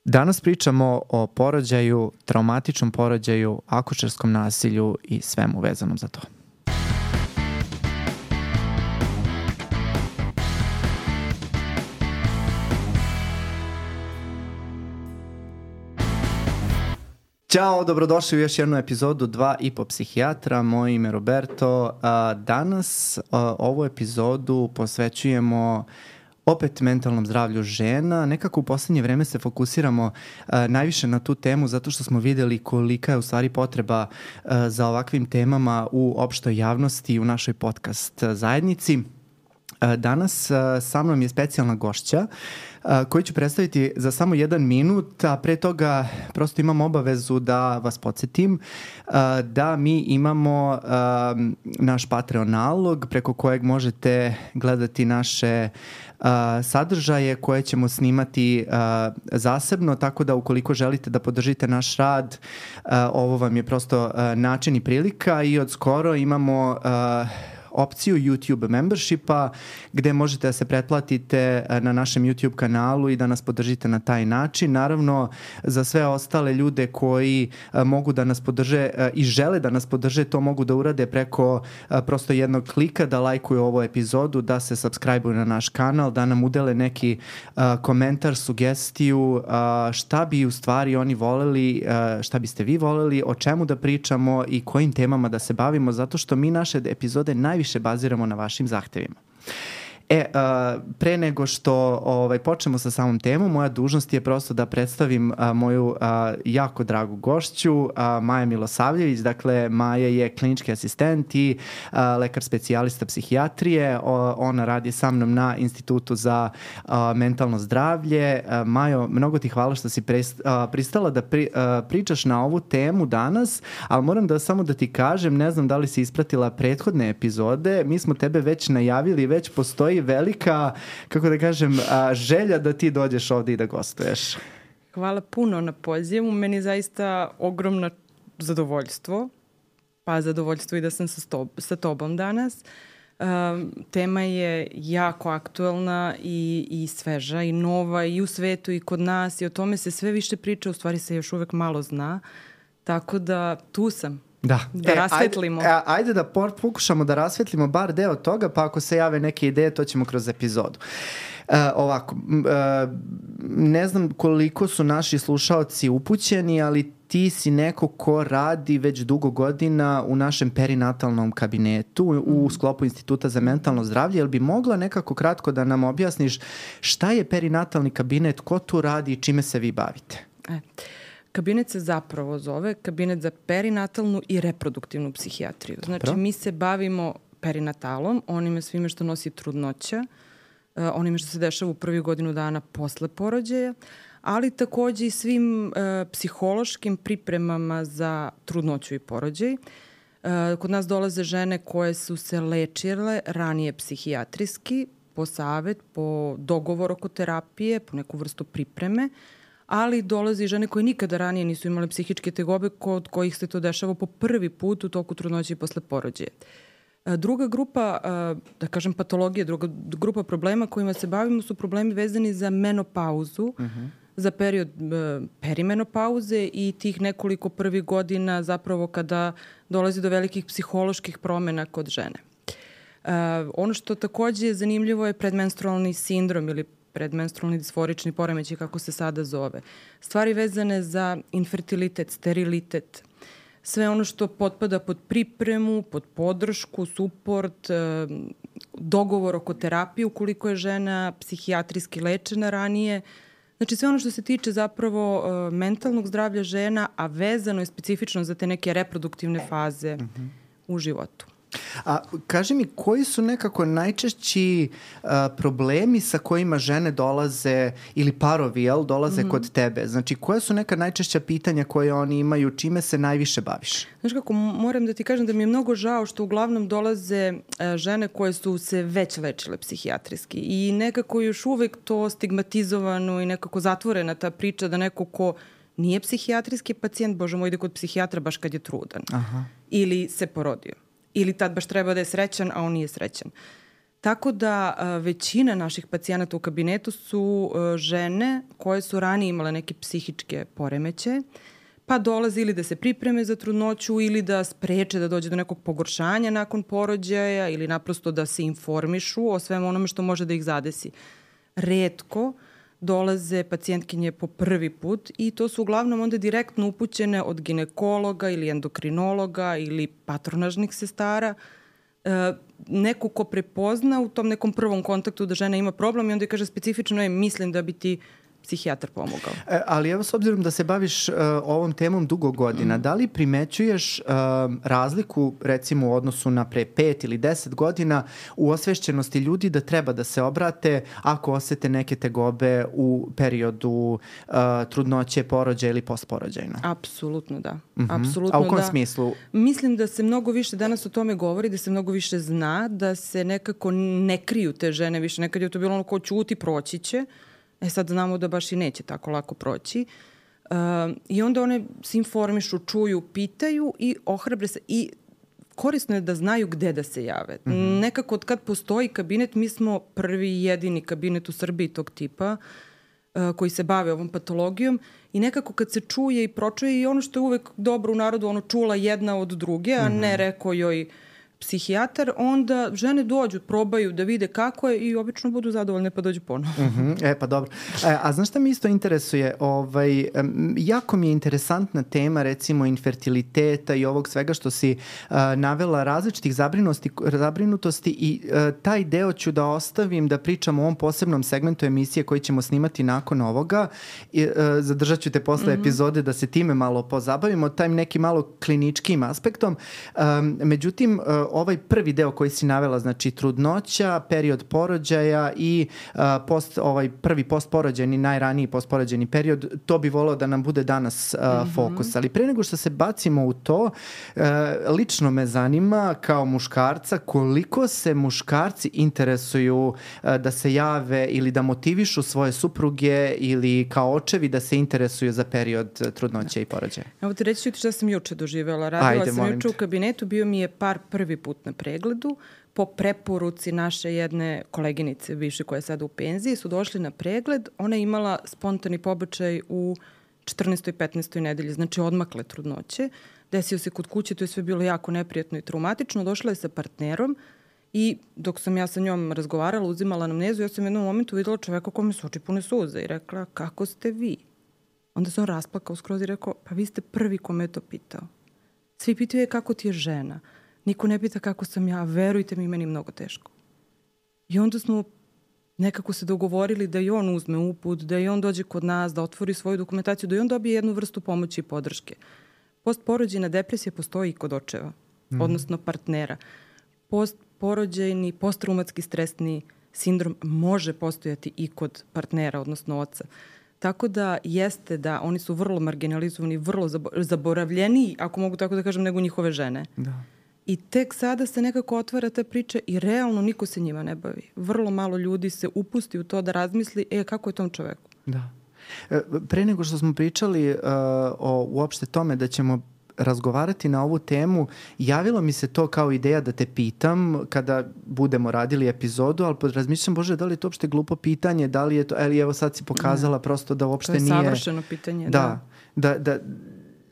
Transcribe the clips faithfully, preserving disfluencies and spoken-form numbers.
Danas pričamo o porođaju, traumatičnom porođaju, akušerskom nasilju i svemu vezanom za to. Ćao, dobrodošli u još jednu epizodu Dva i po psihijatra. Moje ime je Roberto. Danas ovu epizodu posvećujemo opet mentalnom zdravlju žena. Nekako u poslednje vreme se fokusiramo uh, najviše na tu temu zato što smo videli kolika je u stvari potreba uh, za ovakvim temama u opštoj javnosti i u našoj podcast zajednici. Uh, danas uh, sa mnom je specijalna gošća uh, koju ću predstaviti za samo jedan minut, a pre toga prosto imam obavezu da vas podsjetim uh, da mi imamo uh, naš Patreon nalog preko kojeg možete gledati naše Uh, sadržaje koje ćemo snimati uh, zasebno, tako da ukoliko želite da podržite naš rad, uh, ovo vam je prosto uh, način i prilika i od skoro imamo uh, opciju YouTube membershipa gde možete da se pretplatite na našem YouTube kanalu i da nas podržite na taj način. Naravno, za sve ostale ljude koji a, mogu da nas podrže a, i žele da nas podrže, to mogu da urade preko a, prosto jednog klika, da lajkuju ovu epizodu, da se subscribe-uju na naš kanal, da nam udele neki a, komentar, sugestiju, a, šta bi u stvari oni voleli, a, šta biste vi voleli, o čemu da pričamo i kojim temama da se bavimo, zato što mi naše epizode najviše baziramo na vašim zahtevima. E, uh, pre nego što ovaj, počnemo sa samom temom, moja dužnost je prosto da predstavim uh, moju uh, jako dragu gošću, uh, Maja Milosavljević. Dakle, Maja je klinički asistent i uh, lekar specijalista psihijatrije. O, ona radi sa mnom na Institutu za uh, mentalno zdravlje. Uh, Majo, mnogo ti hvala što si prest, uh, pristala da pri, uh, pričaš na ovu temu danas, ali moram da samo da ti kažem, ne znam da li si ispratila prethodne epizode, mi smo tebe već najavili, već postoji velika, kako da kažem, a, želja da ti dođeš ovde i da gostuješ. Hvala puno na pozivu. Meni je zaista ogromno zadovoljstvo, pa zadovoljstvo i da sam sa, stob, sa tobom danas. Um, tema je jako aktuelna i, i sveža i nova i u svetu i kod nas i o tome se sve više priča, u stvari se još uvek malo zna, tako da tu sam. Da, da e, rasvetlimo. Ajde, ajde da pokušamo da rasvetlimo bar deo toga, pa ako se jave neke ideje, to ćemo kroz epizodu. Uh, ovako, uh, ne znam koliko su naši slušaoci upućeni, ali ti si neko ko radi već dugo godina u našem perinatalnom kabinetu u sklopu Instituta za mentalno zdravlje. Jel bi mogla nekako kratko da nam objasniš šta je perinatalni kabinet, ko tu radi i čime se vi bavite? E. Kabinet se zapravo zove Kabinet za perinatalnu i reproduktivnu psihijatriju. Znači, mi se bavimo perinatalom, onime svime što nosi trudnoća, onime što se dešava u prvih godinu dana posle porođaja, ali takođe i svim uh, psihološkim pripremama za trudnoću i porođaj. Uh, kod nas dolaze žene koje su se lečile ranije psihijatrijski, po savet, po dogovor oko terapije, po neku vrstu pripreme, ali dolaze i žene koje nikada ranije nisu imale psihičke tegobe, kod kojih se to dešava po prvi put u toku trudnoće i posle porođaja. Druga grupa, da kažem patologije, druga grupa problema kojima se bavimo su problemi vezani za menopauzu, uh-huh. za period perimenopauze i tih nekoliko prvih godina zapravo kada dolazi do velikih psiholoških promena kod žene. Uh, ono što takođe je zanimljivo je predmenstrualni sindrom ili predmenstrualni disforični poremećaj, kako se sada zove. Stvari vezane za infertilitet, sterilitet, sve ono što potpada pod pripremu, pod podršku, suport, dogovor oko terapije ukoliko je žena psihijatrijski lečena ranije. Znači sve ono što se tiče zapravo mentalnog zdravlja žena, a vezano je specifično za te neke reproduktivne faze mm-hmm. u životu. A kaži mi, koji su nekako najčešći uh, problemi sa kojima žene dolaze ili parovi, jel, dolaze mm-hmm. kod tebe? Znači, koje su neka najčešća pitanja koje oni imaju, čime se najviše baviš? Znaš kako, moram da ti kažem da mi je mnogo žao što uglavnom dolaze uh, žene koje su se već lečile psihijatrijski i nekako još uvek to stigmatizovano i nekako zatvorena ta priča da neko ko nije psihijatrijski pacijent, bože moj, ide kod psihijatra baš kad je trudan. Aha. Ili se porodio. Ili tad baš treba da je srećan, a on nije srećan. Tako da a, većina naših pacijenata u kabinetu su a, žene koje su ranije imale neke psihičke poremećaje, pa dolaze ili da se pripreme za trudnoću ili da spreče da dođe do nekog pogoršanja nakon porođaja ili naprosto da se informišu o svemu onome što može da ih zadesi. Retko dolaze pacijentkinje po prvi put i to su uglavnom onda direktno upućene od ginekologa ili endokrinologa ili patronažnih sestara, e, neko ko prepozna u tom nekom prvom kontaktu da žena ima problem i onda kaže specifično je mislim da bi ti psihijatar pomogao. E, ali evo, s obzirom da se baviš uh, ovom temom dugo godina, mm. da li primećuješ uh, razliku recimo u odnosu na pre pet ili deset godina u osvešćenosti ljudi da treba da se obrate ako osete neke tegobe u periodu uh, trudnoće, porođaja ili postporođajno? Apsolutno da. Mm-hmm. Apsolutno A u kom da. smislu? Mislim da se mnogo više danas o tome govori, da se mnogo više zna, da se nekako ne kriju te žene više. Nekad je to bilo ono ko ćuti, proći će. E sad znamo da baš i neće tako lako proći. Uh, I onda one se informišu, čuju, pitaju i ohrabre se. I korisno je da znaju gde da se jave. Mm-hmm. Nekako od kad postoji kabinet, mi smo prvi i jedini kabinet u Srbiji tog tipa uh, koji se bave ovom patologijom i nekako kad se čuje i pročuje i ono što je uvek dobro u narodu, ono čula jedna od druge, a mm-hmm. ne rekao joj psihijatar, onda žene dođu, probaju da vide kako je i obično budu zadovoljne pa dođu ponovo. Uh-huh. E pa dobro. E, a znaš šta mi isto interesuje? Ovaj, um, jako mi je interesantna tema recimo infertiliteta i ovog svega što si uh, navela različitih zabrinutosti i uh, taj deo ću da ostavim da pričam o ovom posebnom segmentu emisije koji ćemo snimati nakon ovoga. I, uh, zadržat ću te posle mm-hmm. epizode da se time malo pozabavimo, taj neki malo kliničkim aspektom. Um, međutim, uh, ovaj prvi deo koji si navela, znači trudnoća, period porođaja i uh, post, ovaj prvi postporođajni, najraniji postporođajni period, to bi voleo da nam bude danas uh, mm-hmm. fokus. Ali pre nego što se bacimo u to, uh, lično me zanima kao muškarca koliko se muškarci interesuju uh, da se jave ili da motivišu svoje supruge ili kao očevi da se interesuju za period trudnoće da. i porođaja. Evo ti reći ću šta sam juče doživjela. Radila Ajde, sam juče u kabinetu, bio mi je par prvi put na pregledu. Po preporuci naše jedne koleginice, više koja je sada u penziji, su došli na pregled. Ona je imala spontani pobačaj u četrnaestoj i petnaestoj nedelji, znači odmakle trudnoće. Desio se kod kuće, to je sve bilo jako neprijatno i traumatično. Došla je sa partnerom i dok sam ja sa njom razgovarala, uzimala anamnezu, ja sam u jednom momentu videla čoveka kome su oči pune suza i rekla, kako ste vi? Onda se on rasplakao skroz i rekao, pa vi ste prvi kome je to pitao. Svi pitaju je kako ti je žena. Niko ne pita kako sam ja, verujte mi, meni mnogo teško. I onda smo nekako se dogovorili da i on uzme uput, da i on dođe kod nas, da otvori svoju dokumentaciju, da i on dobije jednu vrstu pomoći i podrške. Postporođajna depresija postoji i kod očeva, mm. odnosno partnera. Postporođajni, posttraumatski stresni sindrom može postojati i kod partnera, odnosno oca. Tako da jeste da oni su vrlo marginalizovani, vrlo zaboravljeni, ako mogu tako da kažem, nego njihove žene. Da. I tek sada se nekako otvara ta priča i realno niko se njima ne bavi. Vrlo malo ljudi se upusti u to da razmisli, e, kako je tom čoveku? Da. Pre nego što smo pričali uh, o uopšte tome da ćemo razgovarati na ovu temu, javilo mi se to kao ideja da te pitam kada budemo radili epizodu, ali razmišljam, Bože, da li je to uopšte glupo pitanje, da li je to, ali evo sad si pokazala ne. prosto da uopšte nije... To je savršeno pitanje, da. Da, da, da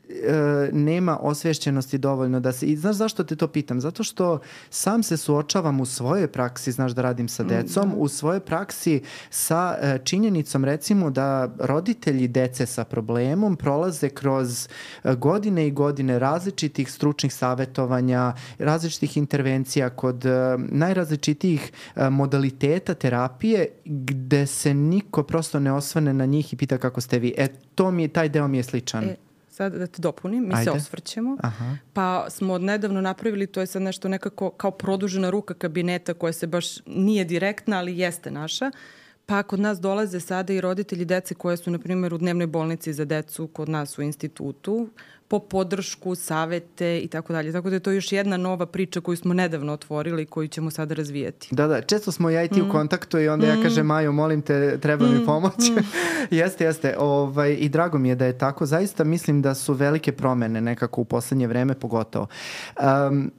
E, nema osvešćenosti dovoljno da se... I znaš zašto te to pitam? Zato što sam se suočavam u svojoj praksi, znaš da radim sa decom, da. u svojoj praksi sa e, činjenicom recimo da roditelji dece sa problemom prolaze kroz e, godine i godine različitih stručnih savetovanja, različitih intervencija kod e, najrazličitijih e, modaliteta terapije gde se niko prosto ne osvrne na njih i pita kako ste vi. E, to mi je, taj deo mi je sličan. E. Sad da te dopunim, mi Ajde. se osvrćemo, Aha. pa smo odnedavno napravili, to je sad nešto nekako kao produžena ruka kabineta koja se baš nije direktna, ali jeste naša. Pa kod nas dolaze sada i roditelji dece koje su, na primjer, u dnevnoj bolnici za decu, kod nas u institutu, po podršku, savete i tako dalje. Tako da je to još jedna nova priča koju smo nedavno otvorili i koju ćemo sada razvijati. Da, da. Često smo ja i ti mm. u kontaktu i onda mm. ja kažem, Majo, molim te, treba mm. mi pomoć. Mm. jeste, jeste. Ovaj, I drago mi je da je tako. Zaista mislim da su velike promene nekako u poslednje vreme pogotovo. Um,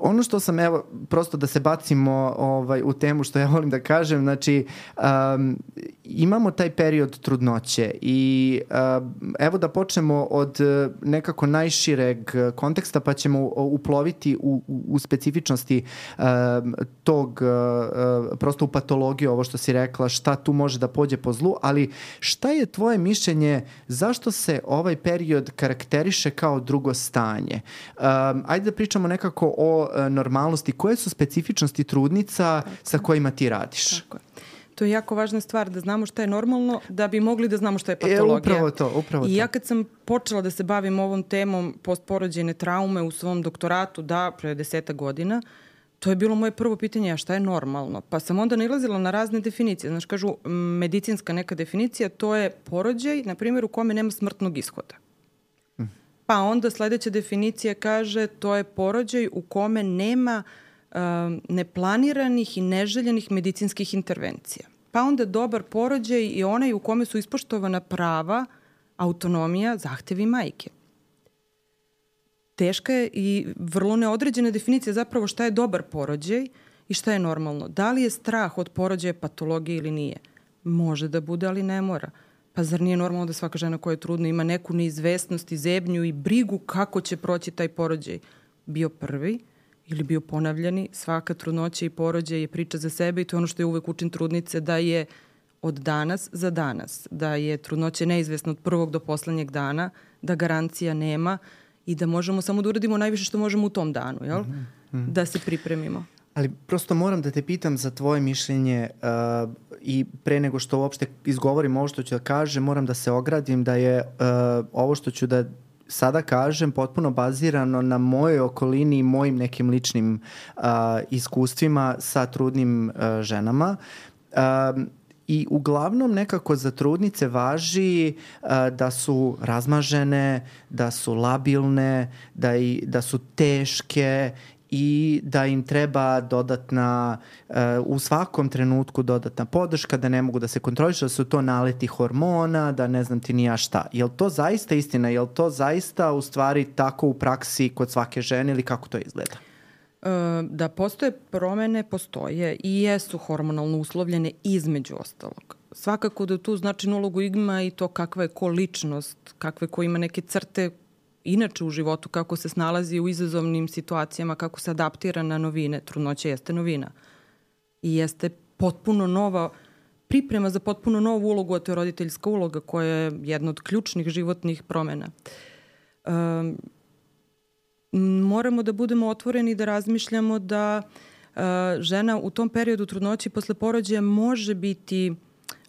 ono što sam, evo, prosto da se bacimo ovaj, u temu što ja volim da kažem, znači um, imamo taj period trudnoće i um, evo da počnemo od nekako najšireg konteksta pa ćemo uploviti u, u, u specifičnosti um, tog, uh, prosto u patologiju, ovo što si rekla, šta tu može da pođe po zlu, ali šta je tvoje mišljenje, zašto se ovaj period karakteriše kao drugo stanje? Um, ajde da pričamo nekako o uh, normalnosti. Koje su specifičnosti trudnica Tako. sa kojima ti radiš? Tako je. To je jako važna stvar da znamo šta je normalno, da bi mogli da znamo šta je patologija. E, upravo to, upravo to. I ja kad sam počela da se bavim ovom temom postporođajne traume u svom doktoratu, da, pre deseta godina, to je bilo moje prvo pitanje, a šta je normalno? Pa sam onda nailazila na razne definicije. Znaš, kažu, medicinska neka definicija, to je porođaj, na primjer, u kome nema smrtnog ishoda. Mm. Pa onda sledeća definicija kaže, to je porođaj u kome nema uh, neplaniranih i neželjenih medicinskih intervencija. Pa onda dobar porođaj i onaj u kome su ispoštovana prava, autonomija, zahtevi majke. Teška je i vrlo neodređena definicija zapravo šta je dobar porođaj i šta je normalno. Da li je strah od porođaja patologije ili nije? Može da bude, ali ne mora. Pa zar nije normalno da svaka žena koja je trudna ima neku neizvesnost i zebnju i brigu kako će proći taj porođaj? Bio prvi ili bio ponavljani, svaka trudnoća i porođaj je priča za sebe i to je ono što je uvek učin trudnice, da je od danas za danas, da je trudnoća neizvesna od prvog do poslednjeg dana, da garancija nema i da možemo samo da uradimo najviše što možemo u tom danu, jel? Mm -hmm. Da se pripremimo. Ali prosto moram da te pitam za tvoje mišljenje uh, i pre nego što uopšte izgovorim ovo što ću da kažem, moram da se ogradim da je uh, ovo što ću da sada kažem potpuno bazirano na mojoj okolini i mojim nekim ličnim uh, iskustvima sa trudnim uh, ženama. Uh, I uglavnom nekako za trudnice važi uh, da su razmažene, da su labilne, da, i, da su teške i da im treba dodatna, uh, u svakom trenutku dodatna podrška, da ne mogu da se kontrolišu, da su to naleti hormona, da ne znam ti ni ja šta. Je li to zaista istina? Je li to zaista u stvari tako u praksi kod svake žene ili kako to izgleda? Da postoje promene, postoje i jesu hormonalno uslovljene između ostalog. Svakako da tu značajnu ulogu ima i to kakva je ko ličnost, kakve ko ima neke crte inače u životu, kako se snalazi u izazovnim situacijama, kako se adaptira na novine. Trudnoća jeste novina i jeste potpuno nova priprema za potpuno novu ulogu, a to je roditeljska uloga koja je jedna od ključnih životnih promena. Um, moramo da budemo otvoreni da razmišljamo da uh, žena u tom periodu trudnoće i posle porođaja može biti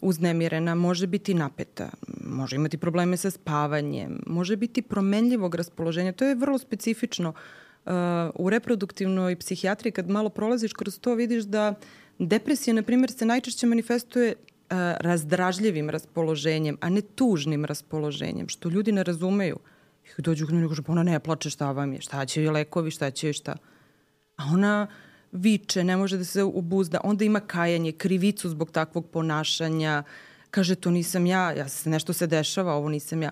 uznemirena, može biti napeta, može imati probleme sa spavanjem, može biti promenljivog raspoloženja. To je vrlo specifično. Uh, u reproduktivnoj psihijatriji kad malo prolaziš kroz to vidiš da depresija, na primjer, se najčešće manifestuje uh, razdražljivim raspoloženjem, a ne tužnim raspoloženjem, što ljudi ne razumeju. I dođu kod mene i kažu, pa ona ne plače, šta vam je, šta će joj lekovi, šta će joj šta. A ona viče, ne može da se obuzda, onda ima kajanje, krivicu zbog takvog ponašanja, kaže, to nisam ja, ja se, nešto se dešava, ovo nisam ja.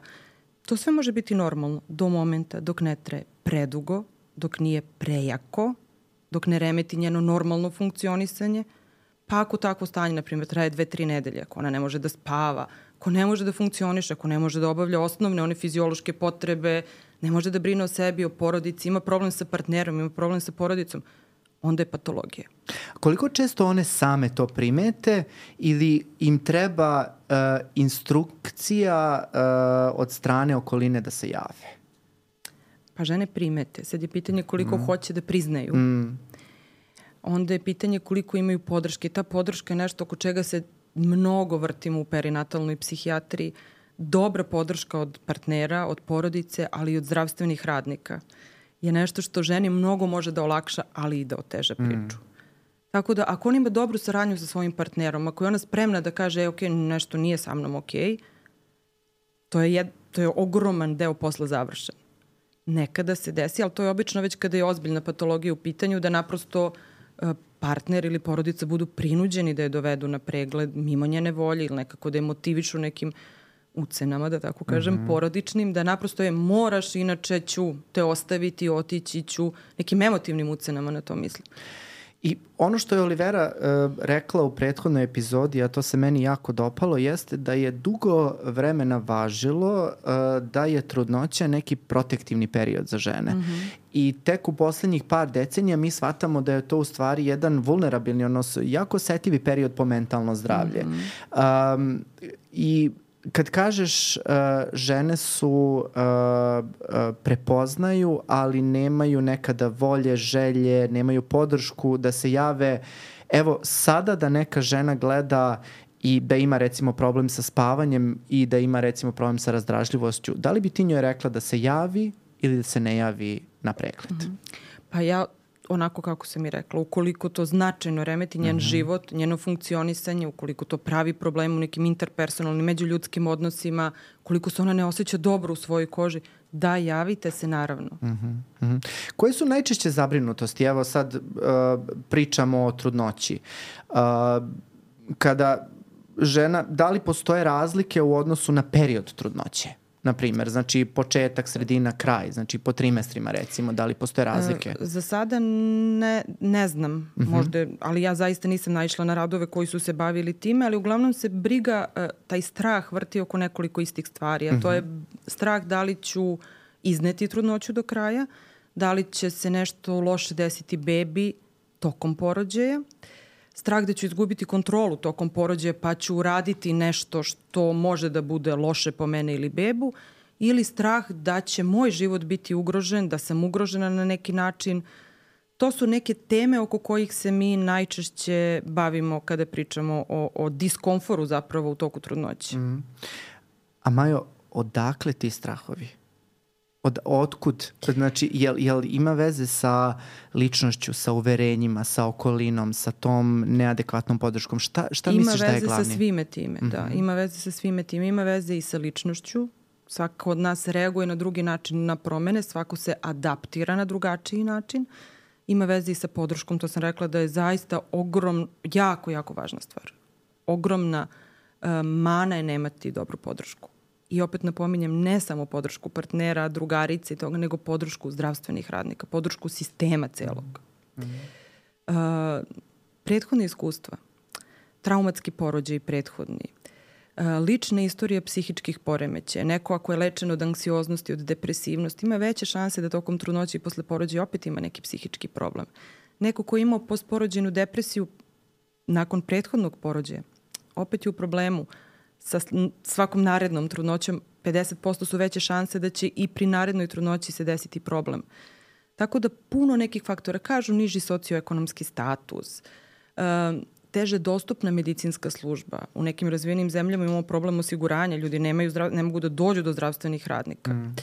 To sve može biti normalno do momenta dok ne traje predugo, dok nije prejako, dok ne remeti njeno normalno funkcionisanje, pa ako takvo stanje, na primjer, traje dve, tri nedelje, ako ona ne može da spava, ako ne može da funkcioniše, ako ne može da obavlja osnovne, one fiziološke potrebe, ne može da brine o sebi, o porodici, ima problem sa partnerom, ima problem sa porodicom, onda je patologija. Koliko često one same to primete ili im treba uh, instrukcija uh, od strane okoline da se jave? Pa žene primete. Sad je pitanje koliko mm. hoće da priznaju. Mm. Onda je pitanje koliko imaju podrške. Ta podrška je nešto oko čega se mnogo vrtimo u perinatalnoj psihijatriji. Dobra podrška od partnera, od porodice, ali i od zdravstvenih radnika je nešto što ženi mnogo može da olakša, ali i da oteža priču. Mm. Tako da ako on ima dobru saradnju sa svojim partnerom, ako je ona spremna da kaže, e, ok, nešto nije sa mnom ok, to je, jed, to je ogroman deo posla završen. Nekada se desi, ali to je obično već kada je ozbiljna patologija u pitanju, da naprosto partner ili porodica budu prinuđeni da je dovedu na pregled mimo njene volje ili nekako da je motivišu nekim ucenama, da tako kažem, mm-hmm. porodičnim, da naprosto je moraš, inače ću te ostaviti, otići ću, nekim emotivnim ucenama na to mislim. I ono što je Olivera uh, rekla u prethodnoj epizodi, a to se meni jako dopalo, jeste da je dugo vremena važilo uh, da je trudnoća neki protektivni period za žene. Mm-hmm. I tek u poslednjih par decenija mi shvatamo da je to u stvari jedan vulnerabilni, odnosno jako osetivi period po mentalno zdravlje. Mm-hmm. Um, I kad kažeš uh, žene su uh, uh, prepoznaju, ali nemaju nekada volje, želje, nemaju podršku da se jave. Evo, sada da neka žena gleda i da ima recimo problem sa spavanjem i da ima recimo problem sa razdražljivošću, da li bi ti njoj rekla da se javi ili da se ne javi na pregled? Mm-hmm. Pa ja onako kako sam i rekla, ukoliko to značajno remeti njen mm-hmm. život, njeno funkcionisanje, ukoliko to pravi problem u nekim interpersonalnim, međuljudskim odnosima, koliko se ona ne osjeća dobro u svojoj koži, da, javite se naravno. Mm-hmm. Mm-hmm. Koje su najčešće zabrinutosti? Evo sad uh, pričamo o trudnoći. Uh, kada žena, da li postoje razlike u odnosu na period trudnoće? Na primjer, znači početak, sredina, kraj, znači po trimestrima recimo, da li postoje razlike? E, za sada ne, ne znam, mm-hmm. možda, ali ja zaista nisam naišla na radove koji su se bavili time, ali uglavnom se briga, taj strah vrti oko nekoliko istih stvari, a mm-hmm. to je strah da li ću izneti trudnoću do kraja, da li će se nešto loše desiti bebi tokom porođaja, strah da ću izgubiti kontrolu tokom porođaja pa ću uraditi nešto što može da bude loše po mene ili bebu, ili strah da će moj život biti ugrožen, da sam ugrožena na neki način. To su neke teme oko kojih se mi najčešće bavimo kada pričamo o, o diskomforu zapravo u toku trudnoće. Mm. A Majo, odakle ti strahovi? Od, otkud? Znači, jel, jel ima veze sa ličnošću, sa uverenjima, sa okolinom, sa tom neadekvatnom podrškom? Šta, šta ima misliš da je glavni? Ima veze sa svime time, mm-hmm. da. Ima veze sa svime time. Ima veze i sa ličnošću. Svako od nas reaguje na drugi način na promene, svako se adaptira na drugačiji način. Ima veze i sa podrškom, to sam rekla da je zaista ogrom, jako, jako važna stvar. Ogromna uh, mana je nemati dobru podršku. I opet napominjem, ne samo podršku partnera, drugarice i toga, nego podršku zdravstvenih radnika, podršku sistema celog. Mm-hmm. Uh, prethodne iskustva, traumatski porođaj prethodni, uh, lična istorija psihičkih poremećaja, neko ako je lečen od anksioznosti, od depresivnosti, ima veće šanse da tokom trudnoće i posle porođaja opet ima neki psihički problem. Neko ko je imao postporođajnu depresiju nakon prethodnog porođaja, opet je u problemu. Sa svakom narednom trudnoćom pedeset posto su veće šanse da će i pri narednoj trudnoći se desiti problem. Tako da puno nekih faktora, kažu niži socioekonomski status, teže dostupna medicinska služba. U nekim razvijenim zemljama imamo problem osiguranja, ljudi nemaju zdrav, ne mogu da dođu do zdravstvenih radnika. Mm.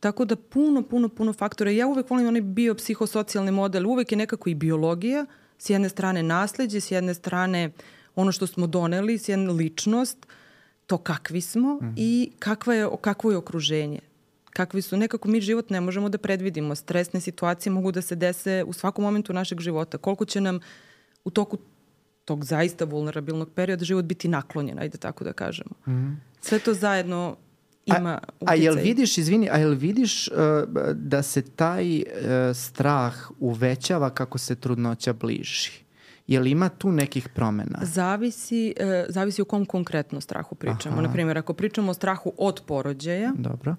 Tako da puno, puno, puno faktora. Ja uvek volim onaj biopsihosocijalni model, uvek je nekako i biologija, s jedne strane nasleđe, s jedne strane ono što smo doneli, s jedne ličnost, to kakvi smo mm. i kakva je, kakvo je okruženje. Kakvi su, nekako mi život ne možemo da predvidimo. Stresne situacije mogu da se dese u svakom momentu našeg života. Koliko će nam u toku tog zaista vulnerabilnog perioda život biti naklonjen, ajde tako da kažemo. Mm. Sve to zajedno ima a, utjecaj. A jel vidiš, izvini, a jel vidiš uh, da se taj uh, strah uvećava kako se trudnoća bliži? Je li ima tu nekih promjena? Zavisi, e, zavisi o kom konkretno strahu pričamo. Aha. Naprimjer, ako pričamo o strahu od porođaja, dobro,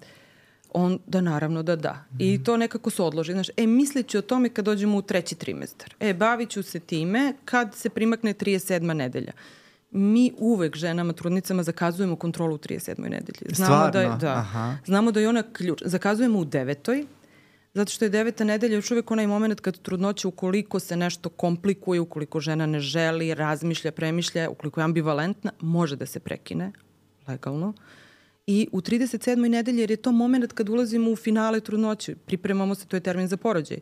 onda naravno da da. Mm. I to nekako se odloži. Znaš, e, mislit ću o tome kad dođemo u treći trimestar. E, bavit ću se time kad se primakne trideset sedma nedelja. Mi uvek ženama, trudnicama zakazujemo kontrolu u trideset sedmoj nedelji. Znamo Stvarno? Da je, da, Aha. Znamo da je ona ključ. Zakazujemo u devetoj, zato što je deveta nedelja još uvijek onaj moment kad trudnoća, ukoliko se nešto komplikuje, ukoliko žena ne želi, razmišlja, premišlja, ukoliko je ambivalentna, može da se prekine legalno. I u trideset sedmoj nedelji, jer je to moment kad ulazimo u finale trudnoće, pripremamo se, to je termin za porođaj.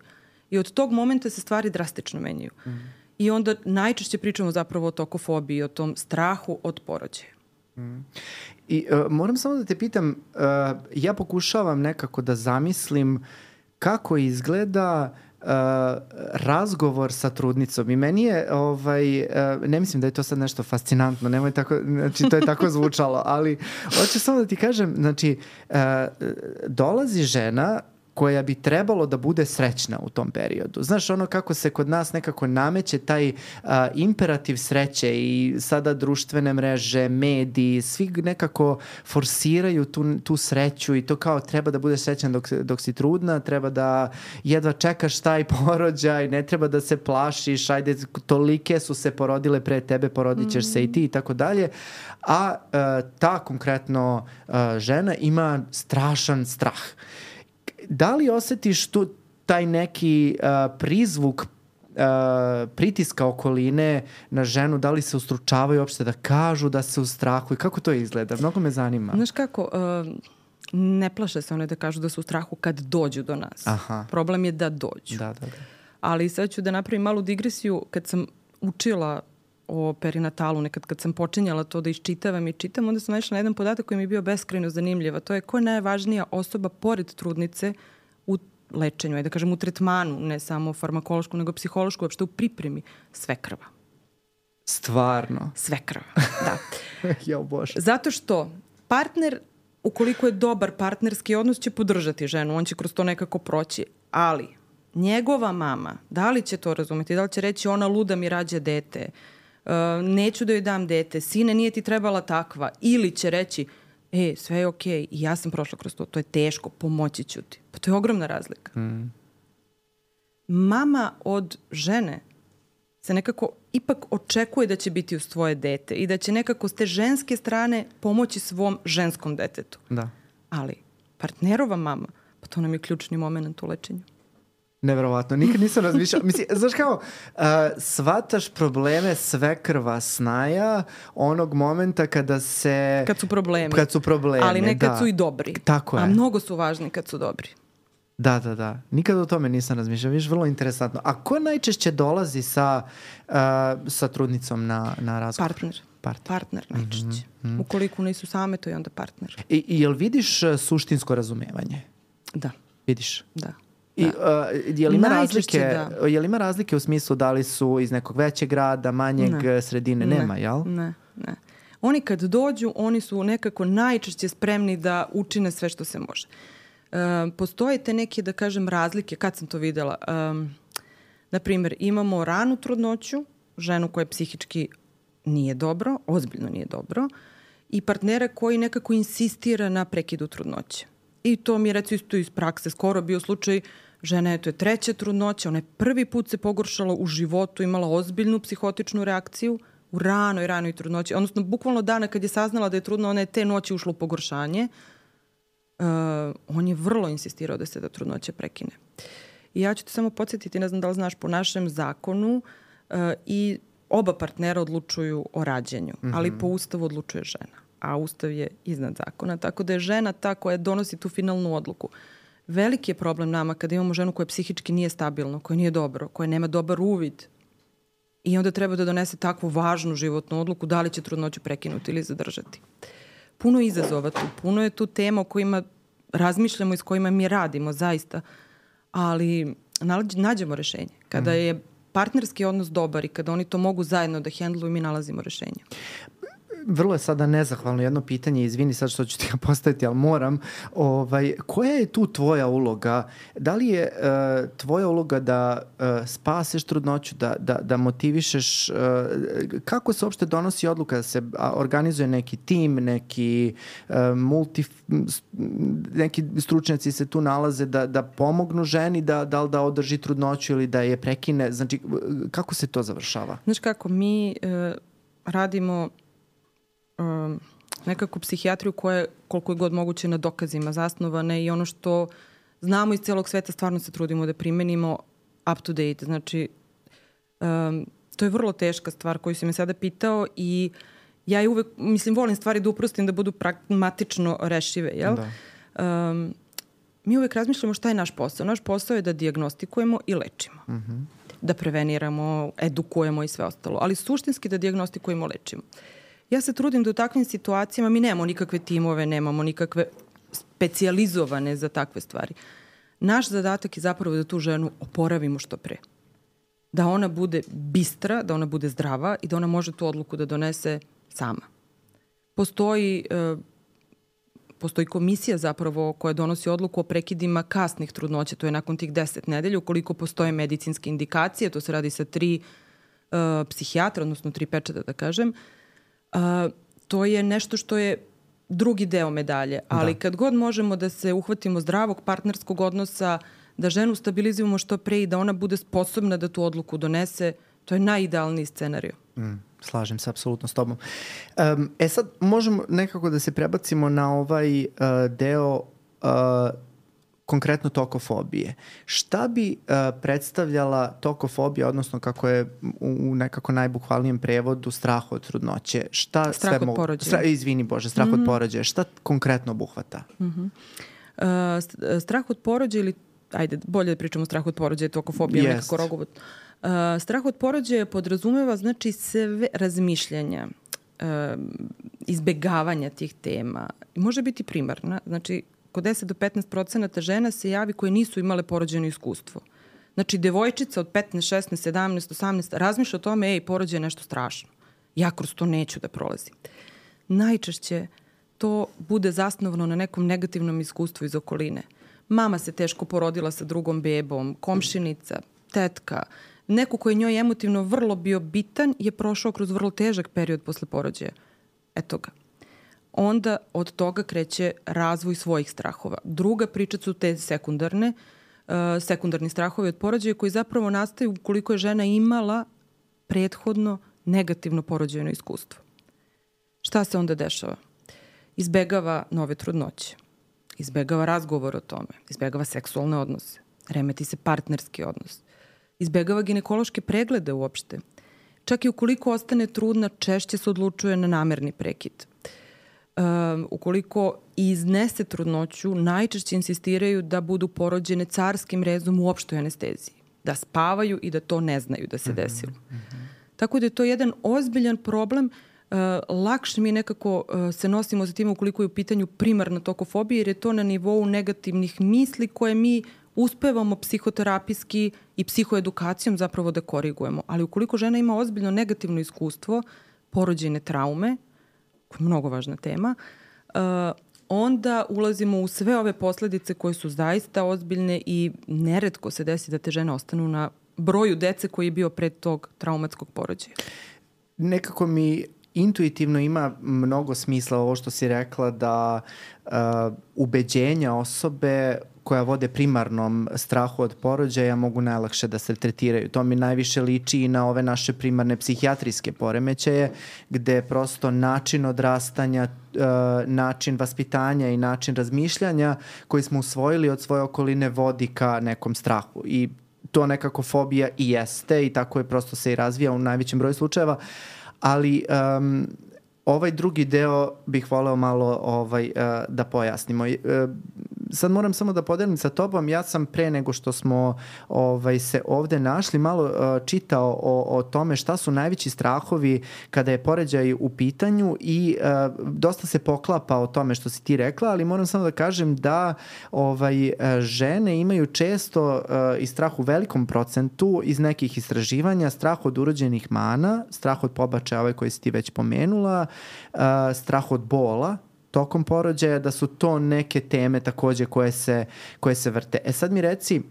I od tog momenta se stvari drastično menjaju. Mm. I onda najčešće pričamo zapravo o tokofobiji, o tom strahu od porođaja. Mm. I uh, moram samo da te pitam, uh, ja pokušavam nekako da zamislim kako izgleda uh, razgovor sa trudnicom i meni je, ovaj, uh, ne mislim da je to sad nešto fascinantno, nemoj tako, znači to je tako zvučalo, ali hoću samo da ti kažem, znači uh, dolazi žena koja bi trebalo da bude srećna u tom periodu. Znaš, ono kako se kod nas nekako nameće taj uh, imperativ sreće i sada društvene mreže, mediji, svi nekako forsiraju tu, tu sreću i to kao treba da bude srećan dok, dok si trudna, treba da jedva čekaš taj porođaj, ne treba da se plašiš, ajde, tolike su se porodile pre tebe, porodit ćeš mm-hmm. se i ti i tako dalje. A uh, ta konkretno uh, žena ima strašan strah. Da li osjetiš tu taj neki uh, prizvuk uh, pritiska okoline na ženu, da li se ustručavaju uopšte da kažu da se ustrahuju? Kako to izgleda? Mnogo me zanima. Znaš kako, uh, ne plaše se one da kažu da su u strahu kad dođu do nas. Aha. Problem je da dođu. Da, da, da. Ali sad ću da napravim malu digresiju. Kad sam učila o perinatalu, nekad kad sam počinjala to da iščitavam i čitam, onda sam naišla na jedan podatak koji mi je bio beskrajno zanimljiv, a to je ko je najvažnija osoba pored trudnice u lečenju, aj da kažem u tretmanu, ne samo farmakološku, nego psihološku, uopšte u pripremi, svekrva. Stvarno? Svekrva, da. Jao Bože. Zato što partner, ukoliko je dobar partnerski odnos, će podržati ženu, on će kroz to nekako proći, ali njegova mama, da li će to razumeti, da li će reći ona luda mi rađa dete, Uh, neću da joj dam dete, sine nije ti trebala takva, ili će reći e, sve je okej okay, i ja sam prošla kroz to, to je teško, pomoći ću ti. Pa to je ogromna razlika. Mm. Mama od žene se nekako ipak očekuje da će biti uz tvoje dete i da će nekako s te ženske strane pomoći svom ženskom detetu. Da. Ali partnerova mama, pa to nam je ključni moment u lečenju. Neverovatno, nikad nisam razmišljao. Mislim, znaš kao, uh, shvataš probleme svekrva snaja onog momenta kada se... Kad su problemi. Kad su problemi, ali ne kad da. su i dobri. Tako je. A mnogo su važni kad su dobri. Da, da, da. Nikad o tome nisam razmišljao. Viš, vrlo interesantno. A ko najčešće dolazi sa, uh, sa trudnicom na, na razgovor? Partner. Partner. Partner najčešće. Mm-hmm. Ukoliko nisu same, to je onda partner. I, i jel vidiš uh, suštinsko razumevanje? Da. Vidiš? Da. I, uh, je li ima razlike, da. je li ima razlike u smislu da li su iz nekog većeg grada, manjeg ne. sredine? Ne. Nema, jel? Ne, ne. Oni kad dođu, oni su nekako najčešće spremni da učine sve što se može. Um, postoje te neke, da kažem, razlike. Kad sam to videla? Um, na primjer, imamo ranu trudnoću, ženu koja psihički nije dobro, ozbiljno nije dobro, i partnera koji nekako insistira na prekidu trudnoće. I to mi je recimo isto iz prakse skoro bio slučaj, žena je, to je treća trudnoća, ona je prvi put se pogoršala u životu, imala ozbiljnu psihotičnu reakciju u ranoj, ranoj trudnoći. Odnosno, bukvalno dana kad je saznala da je trudna, ona je te noći ušla u pogoršanje. Uh, on je vrlo insistirao da se da trudnoća prekine. I ja ću te samo podsjetiti, ne znam da li znaš, po našem zakonu uh, i oba partnera odlučuju o rađenju, mm-hmm. ali po Ustavu odlučuje žena. A Ustav je iznad zakona, tako da je žena ta koja donosi tu finalnu odluku. Veliki je problem nama kada imamo ženu koja psihički nije stabilna, koja nije dobro, koja nema dobar uvid i onda treba da donese takvu važnu životnu odluku da li će trudnoću prekinuti ili zadržati. Puno izazova tu, puno je tu tema o kojima razmišljamo i s kojima mi radimo zaista, ali nađemo rešenje. Kada je partnerski odnos dobar i kada oni to mogu zajedno da hendluju, mi nalazimo rešenje. Vrlo je sada nezahvalno jedno pitanje, izvini sad što ću ti ga postaviti, ali moram. Ovaj, koja je tu tvoja uloga? Da li je uh, tvoja uloga da uh, spaseš trudnoću, da, da, da motivišeš? Uh, kako se uopšte donosi odluka da se organizuje neki tim, neki, uh, multi, neki stručnjaci se tu nalaze da, da pomognu ženi, da, da li da održi trudnoću ili da je prekine? Znači, kako se to završava? Znaš kako, mi uh, radimo Um, nekako psihijatriju koja je koliko je god moguće na dokazima zasnovane i ono što znamo iz celog sveta stvarno se trudimo da primenimo up to date. Znači, um, to je vrlo teška stvar koju si me sada pitao i ja je uvek, mislim, volim stvari da uprostim da budu pragmatično rešive, jel? Da. Um, mi uvek razmišljamo šta je naš posao. Naš posao je da dijagnostikujemo i lečimo. Mm-hmm. Da preveniramo, edukujemo i sve ostalo. Ali suštinski da dijagnostikujemo i lečimo. Ja se trudim da u takvim situacijama, mi nemamo nikakve timove, nemamo nikakve specijalizovane za takve stvari, Naš zadatak je zapravo da tu ženu oporavimo što pre. Da ona bude bistra, da ona bude zdrava i da ona može tu odluku da donese sama. Postoji, e, postoji komisija zapravo koja donosi odluku o prekidima kasnih trudnoća, to je nakon tih deset nedelja, ukoliko postoje medicinske indikacije, to se radi sa tri e, psihijatra, odnosno tri pečata da kažem, e, to je nešto što je drugi deo medalje, ali da. Kad god možemo da se uhvatimo zdravog partnerskog odnosa, da ženu stabilizujemo što pre i da ona bude sposobna da tu odluku donese, to je najidealniji scenario. Mm, slažem se apsolutno s tobom. Um, e sad možemo nekako da se prebacimo na ovaj uh, deo uh, konkretno tokofobije. Šta bi uh, predstavljala tokofobija, odnosno kako je u, u nekako najbukvalnijem prevodu strah od trudnoće? Šta strah sve od porođaja. Stra, izvini Bože, strah mm-hmm. od porođaja. Šta konkretno obuhvata? Mm-hmm. Uh, strah od porođaja ili ajde, bolje da pričamo o strahu od porođaja, tokofobija, yes. nekako rogovod. Uh, strah od porođaja podrazumeva znači sve razmišljanja, uh, izbegavanja tih tema. Može biti primarna, znači kod deset do petnaest procenata žena se javi koje nisu imale porođajno iskustvo. Znači, devojčica od petnaest, šesnaest, sedamnaest, osamnaest razmišlja o tome, ej, porođaj je nešto strašno. Ja kroz to neću da prolazim. Najčešće to bude zasnovano na nekom negativnom iskustvu iz okoline. Mama se teško porodila sa drugom bebom, komšinica, tetka, neko koji je njoj emotivno vrlo bio bitan je prošao kroz vrlo težak period posle porođaja. Eto ga. Onda od toga kreće razvoj svojih strahova. Druga priča su te sekundarne, uh, sekundarni strahovi od porođaja koji zapravo nastaju ukoliko je žena imala prethodno negativno porođajno iskustvo. Šta se onda dešava? Izbegava nove trudnoće. Izbegava razgovor o tome, izbegava seksualne odnose, remeti se partnerski odnos, izbegava ginekološke preglede uopšte. Čak i ukoliko ostane trudna, češće se odlučuje na namerni prekid. Um, ukoliko iznese trudnoću, najčešće insistiraju da budu porođene carskim rezom u opštoj anesteziji, da spavaju i da to ne znaju da se desilo. Mm-hmm. Tako da je to jedan ozbiljan problem. Uh, lakše mi nekako uh, se nosimo sa tim ukoliko je u pitanju primarna tokofobija, jer je to na nivou negativnih misli koje mi uspevamo psihoterapijski i psihoedukacijom zapravo da korigujemo. Ali ukoliko žena ima ozbiljno negativno iskustvo, porođajne traume, koja je mnogo važna tema, uh, onda ulazimo u sve ove posledice koje su zaista ozbiljne i neretko se desi da te žene ostanu na broju dece koji je bio pred tog traumatskog porođaja. Nekako mi intuitivno ima mnogo smisla ovo što si rekla da uh, ubeđenja osobe koja vode primarnom strahu od porođaja mogu najlakše da se tretiraju. To mi najviše liči i na ove naše primarne psihijatrijske poremećaje, gde prosto način odrastanja, uh, način vaspitanja i način razmišljanja koji smo usvojili od svoje okoline vodi ka nekom strahu. I to nekako fobija i jeste i tako je prosto se i razvija u najvećem broju slučajeva. Ali um, ovaj drugi deo bih voleo malo ovaj, uh, da pojasnimo. Uh, sad moram samo da podelim sa tobom. Ja sam pre nego što smo ovaj, se ovde našli malo uh, čitao o, o tome šta su najveći strahovi kada je porođaj u pitanju i uh, dosta se poklapa o tome što si ti rekla, ali moram samo da kažem da ovaj, uh, žene imaju često uh, i strah u velikom procentu iz nekih istraživanja, strah od urođenih mana, strah od pobačaja, ovaj koji si ti već pomenula, uh, strah od bola tokom porođaja, da su to neke teme takođe koje se, koje se vrte. E sad mi reci,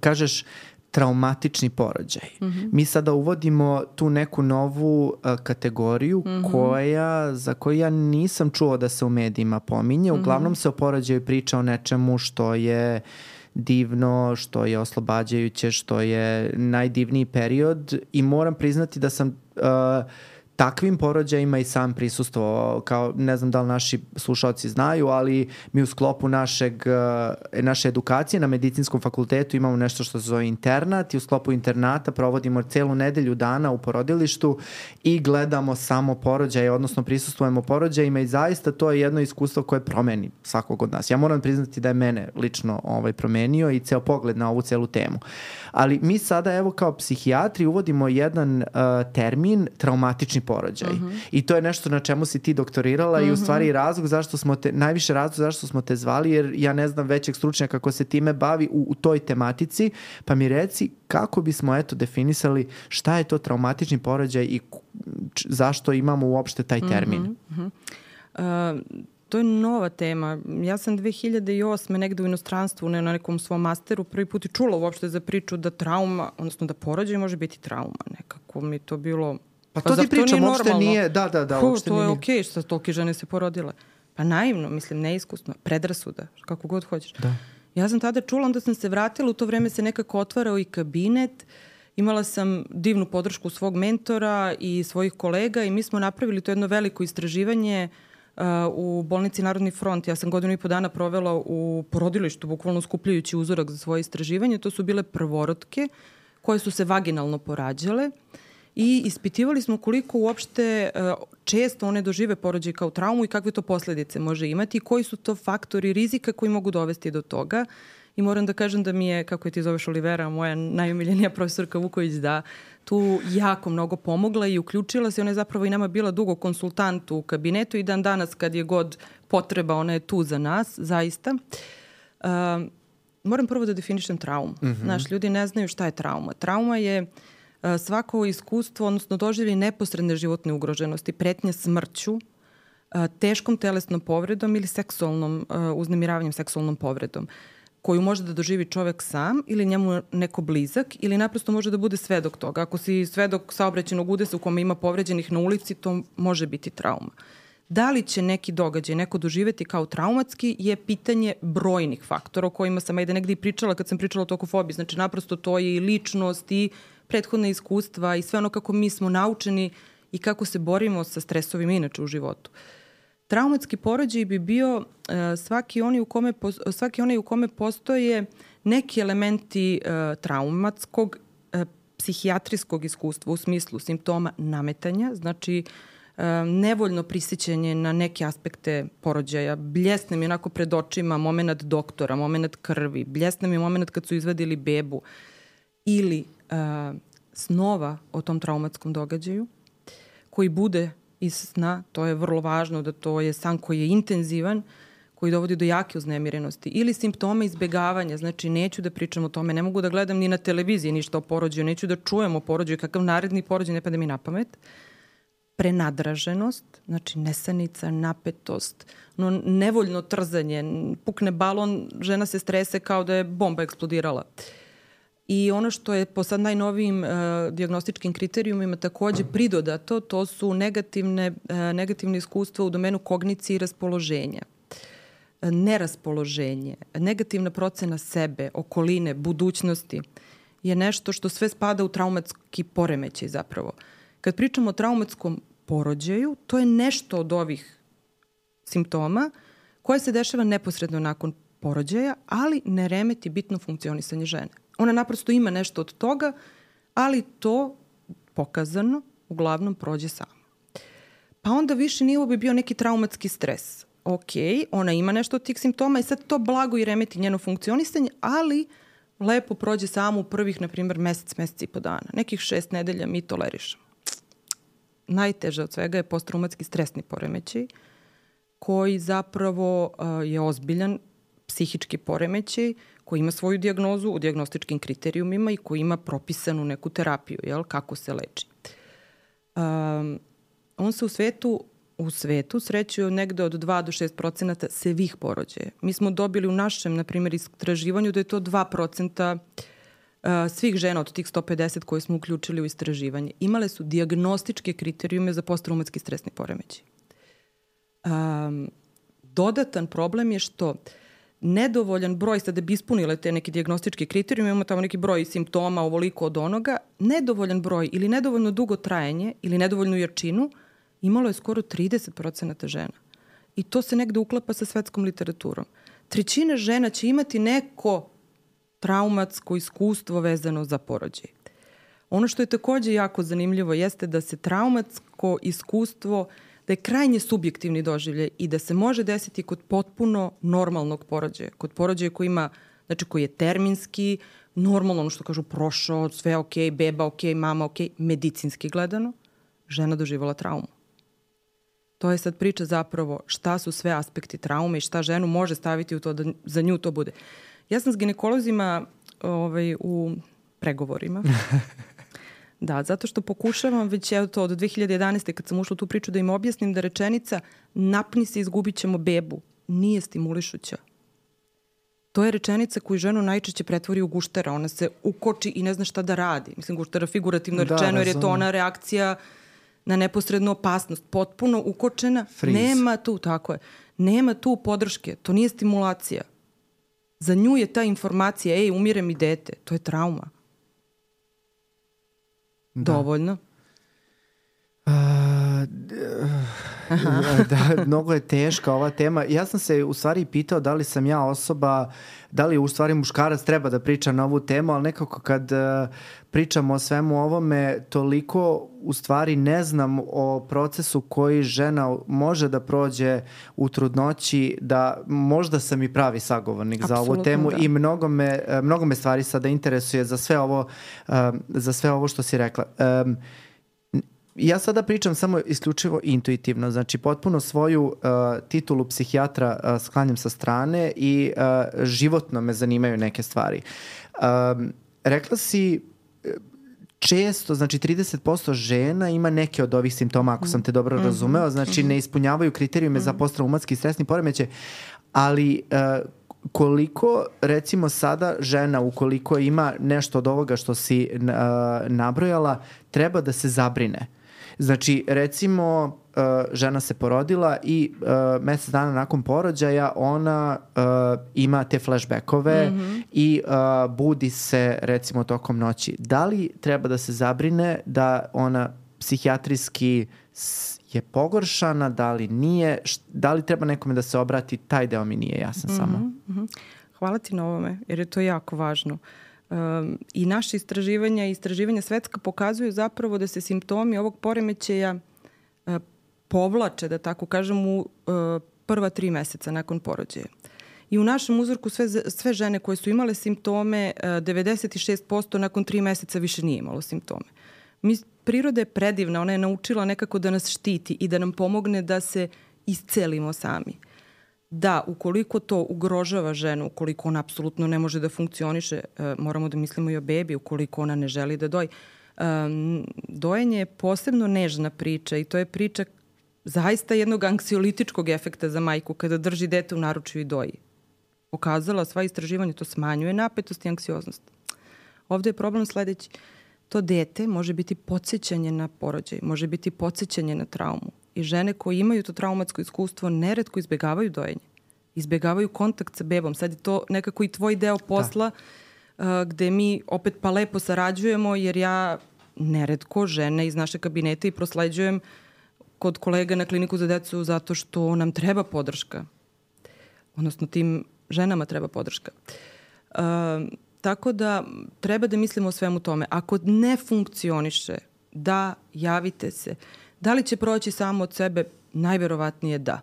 kažeš traumatični porođaj. Mm-hmm. Mi sada uvodimo tu neku novu uh, kategoriju mm-hmm. koja, za koju ja nisam čuo da se u medijima pominje. Mm-hmm. Uglavnom se o porođaju priča o nečemu što je divno, što je oslobađajuće, što je najdivniji period i moram priznati da sam uh, takvim porođajima i sam prisustvovao, kao ne znam da li naši slušalci znaju, ali mi u sklopu našeg, naše edukacije na medicinskom fakultetu imamo nešto što se zove internat i u sklopu internata provodimo celu nedelju dana u porodilištu i gledamo samo porođaje, odnosno prisustvujemo porođajima i zaista to je jedno iskustvo koje promeni svakog od nas. Ja moram priznati da je mene lično ovaj, promenio i ceo pogled na ovu celu temu. Ali mi sada evo kao psihijatri uvodimo jedan uh, termin traumatični porođaj. Uh-huh. I to je nešto na čemu si ti doktorirala uh-huh. i u stvari razlog zašto smo te, najviše razlog zašto smo te zvali, jer ja ne znam većeg stručnjaka kako se time bavi u, u toj tematici, pa mi reci kako bismo eto definisali šta je to traumatični porođaj i zašto imamo uopšte taj termin. Uh-huh. Uh, to je nova tema. Ja sam dve hiljade osme negde u inostranstvu ne, na nekom svom masteru prvi put i čula uopšte za priču da trauma, odnosno da porođaj može biti trauma. Nekako mi to bilo... Pa to pa ti pričam, uopšte normalno? nije... Da, da, da, Ko, uopšte to nije... je okej okay, što tolike žene se porodile. Pa naivno, mislim, neiskusno, predrasuda, kako god hoćeš. Da. Ja sam tada čula, onda sam se vratila, u to vreme se nekako otvarao i kabinet, imala sam divnu podršku svog mentora i svojih kolega i mi smo napravili to jedno veliko istraživanje uh, u bolnici Narodni front. Ja sam godinu i po dana provela u porodilištu, bukvalno skupljajući uzorak za svoje istraživanje. To su bile prvorotke koje su se vaginalno porađale i ispitivali smo koliko uopšte uh, često one dožive porođaj kao traumu i kakve to posledice može imati i koji su to faktori rizika koji mogu dovesti do toga. I moram da kažem da mi je, kako je ti zoveš Olivera, moja najomiljenija profesorka Vuković, da tu jako mnogo pomogla i uključila se. Ona je zapravo i nama bila dugo konsultant u kabinetu i dan danas kad je god potreba, ona je tu za nas, zaista. Uh, moram prvo da definišem traumu. Mm-hmm. Znaš, ljudi ne znaju šta je trauma. Trauma je uh, svako iskustvo, odnosno doživlje neposredne životne ugroženosti, pretnje smrću, uh, teškom telesnom povredom ili seksualnom uh, uznemiravanjem, seksualnom povredom, koju može da doživi čovek sam ili njemu neko blizak ili naprosto može da bude svedok toga. Ako si svedok saobraćajnog udesa u kome ima povređenih na ulici, to može biti trauma. Da li će neki događaj neko doživeti kao traumatski je pitanje brojnih faktora o kojima sam ajde negdje i pričala kad sam pričala o tokofobiji. Znači naprosto to je i ličnost i prethodna iskustva i sve ono kako mi smo naučeni i kako se borimo sa stresovima inače u životu. Traumatski porođaj bi bio uh, svaki, oni u kome, svaki onaj u kome postoje neki elementi uh, traumatskog, uh, psihijatrijskog iskustva u smislu simptoma nametanja, znači uh, nevoljno prisjećanje na neke aspekte porođaja, bljesne mi onako pred očima moment doktora, moment krvi, bljesne mi moment kad su izvadili bebu ili uh, snova o tom traumatskom događaju koji bude iz sna, to je vrlo važno da to je san koji je intenzivan, koji dovodi do jake uznemirenosti. Ili simptome izbegavanja, znači neću da pričam o tome, ne mogu da gledam ni na televiziji ništa o porođaju, neću da čujem o porođaju, kakav naredni porođaj ne pada mi na pamet. Prenadraženost, znači nesanica, napetost, no, nevoljno trzanje, pukne balon, žena se strese kao da je bomba eksplodirala. I ono što je po sad najnovijim uh, dijagnostičkim kriterijumima takođe pridodato, to su negativne, uh, negativne iskustva u domenu kognicije i raspoloženja. Uh, neraspoloženje, negativna procena sebe, okoline, budućnosti je nešto što sve spada u traumatski poremećaj zapravo. Kad pričamo o traumatskom porođaju, to je nešto od ovih simptoma koje se dešava neposredno nakon porođaja, ali ne remeti bitno funkcionisanje žene. Ona naprosto ima nešto od toga, ali to pokazano uglavnom prođe samo. Pa onda viši nivo bi bio neki traumatski stres. Ok, ona ima nešto od tih simptoma i sad to blago i remeti njeno funkcionisanje, ali lepo prođe samo u prvih, na primjer, mesec, mesec i po dana. Nekih šest nedelja mi tolerišemo. Najteže od svega je posttraumatski stresni poremećaj, koji zapravo uh, je ozbiljan psihički poremećaj, koji ima svoju dijagnozu u dijagnostičkim kriterijumima i koji ima propisanu neku terapiju, jel, kako se leči. Um, on se u svetu, u svetu srećuje negde od dva do šest procenata svih porođaja. Mi smo dobili u našem, na primjer, istraživanju da je to dva procenta uh, svih žena od tih sto pedeset koje smo uključili u istraživanje. Imale su dijagnostičke kriterijume za posttraumatski stresni poremećaj. Um, dodatan problem je što nedovoljan broj, sad da bi ispunile te neke dijagnostičke kriterijume, imamo tamo neki broj simptoma, ovoliko od onoga, nedovoljan broj ili nedovoljno dugo trajanje ili nedovoljnu jačinu imalo je skoro trideset procenata žena. I to se negde uklapa sa svetskom literaturom. Trećina žena će imati neko traumatsko iskustvo vezano za porođaj. Ono što je takođe jako zanimljivo jeste da se traumatsko iskustvo, da je krajnje subjektivni doživljaj i da se može desiti kod potpuno normalnog porođaja. Kod porođaja koji ima, znači koji je terminski, normalno, ono što kažu, prošao, sve ok, beba ok, mama ok, medicinski gledano. žena doživjela traumu. To je sad priča zapravo šta su sve aspekti traume i šta ženu može staviti u to da za nju to bude. Ja sam s ginekolozima ovaj, u pregovorima. Da, zato što pokušavam već evo to od dve hiljade jedanaeste kad sam ušla u tu priču da im objasnim da rečenica napni se, izgubit ćemo bebu nije stimulišuća. To je rečenica koju ženu najčešće pretvori u guštera. Ona se ukoči i ne zna šta da radi. Mislim, guštera figurativno da, rečeno jer je to ona reakcija na neposrednu opasnost. Potpuno ukočena. Freeze. Nema tu, tako je. Nema tu podrške. To nije stimulacija. Za nju je ta informacija, ej, umire mi dete. To je trauma. Da. Dovoljno. Uh, da, mnogo je teška ova tema. Ja sam se u stvari pitao da li sam ja osoba, da li u stvari muškarac treba da priča na ovu temu, ali nekako kad uh, pričamo o svemu ovome, toliko u stvari ne znam o procesu koji žena može da prođe u trudnoći, da možda sam i pravi sagovornik Absolutno, za ovu temu da. I mnogo me, mnogo me stvari sada interesuje za sve ovo, uh, za sve ovo što si rekla. Um, Ja sada pričam samo isključivo intuitivno, znači potpuno svoju uh, titulu psihijatra uh, sklanjam sa strane i uh, životno me zanimaju neke stvari. Um, rekla si često, znači trideset posto žena ima neke od ovih simptoma, ako sam te dobro mm-hmm. razumeo, znači mm-hmm. ne ispunjavaju kriterijume mm-hmm. za postraumatski stresni poremećaj, ali uh, koliko recimo sada žena ukoliko ima nešto od ovoga što si uh, nabrojala treba da se zabrine. Znači recimo uh, žena se porodila i uh, mjesec dana nakon porođaja ona uh, ima te flashbackove mm-hmm. i uh, budi se recimo tokom noći. Da li treba da se zabrine da ona psihijatrijski je pogoršana, da li nije, da li treba nekome da se obrati, taj deo mi nije jasan mm-hmm, samo. Mm-hmm. Hvala ti na ovome, jer je to jako važno. Um, I naše istraživanja i istraživanja svetska pokazuju zapravo da se simptomi ovog poremećaja uh, povlače, da tako kažem, u uh, prva tri meseca nakon porođaja. I u našem uzorku sve, sve žene koje su imale simptome, uh, devedeset šest posto nakon tri meseca više nije imalo simptome. Mi, priroda je predivna, ona je naučila nekako da nas štiti i da nam pomogne da se iscelimo sami. Da, ukoliko to ugrožava ženu, ukoliko ona apsolutno ne može da funkcioniše, e, moramo da mislimo i o bebi, ukoliko ona ne želi da doji. E, dojenje je posebno nežna priča i to je priča zaista jednog anksiolitičkog efekta za majku kada drži dete u naručju i doji. Pokazala sva istraživanja, to smanjuje napetost i anksioznost. Ovde je problem sledeći. To dete može biti podsjećanje na porođaj, može biti podsjećanje na traumu. I žene koje imaju to traumatsko iskustvo neretko izbjegavaju dojenje. Izbjegavaju kontakt sa bebom. Sad je to nekako i tvoj deo posla uh, gde mi opet pa lepo sarađujemo jer ja neretko žene iz naše kabinete i prosleđujem kod kolega na kliniku za decu zato što nam treba podrška. Odnosno tim ženama treba podrška. Uh, tako da treba da mislimo o svemu tome. Ako ne funkcioniše, da, javite se. Da li će proći samo od sebe? Najverovatnije da.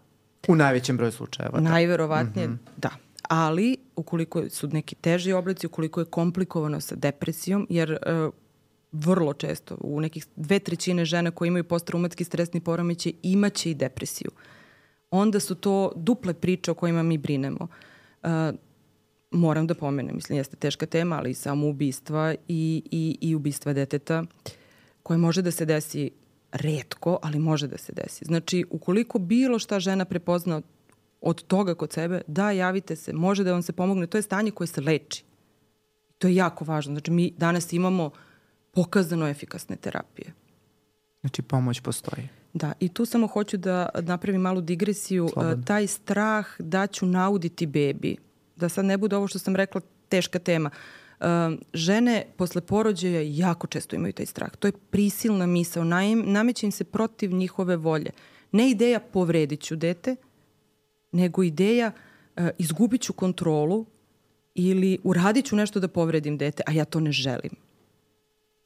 U najvećem broju slučajeva. Najverovatnije mm-hmm. da. Ali ukoliko su neki teži oblici, ukoliko je komplikovano sa depresijom, jer e, vrlo često u nekih dve trećine žena koje imaju posttraumatski stresni poremećaj imaće i depresiju. Onda su to duple priče o kojima mi brinemo. E, moram da pomenem, mislim, jeste teška tema, ali i samoubistva i, i, i ubistva deteta koje može da se desi retko, ali može da se desi. Znači, ukoliko bilo šta žena prepozna od, od toga kod sebe, da, javite se, može da vam se pomogne. To je stanje koje se leči. To je jako važno. Znači, mi danas imamo pokazano efikasne terapije. Znači, pomoć postoji. Da, i tu samo hoću da napravim malu digresiju. Slobodno. Taj strah da ću nauditi bebi, da sad ne bude ovo što sam rekla teška tema. Um, žene posle porođaja jako često imaju taj strah. To je prisilna misao. Nameće im se protiv njihove volje. Ne ideja povredit ću dete, nego ideja uh, izgubit ću kontrolu ili uradit ću nešto da povredim dete, a ja to ne želim.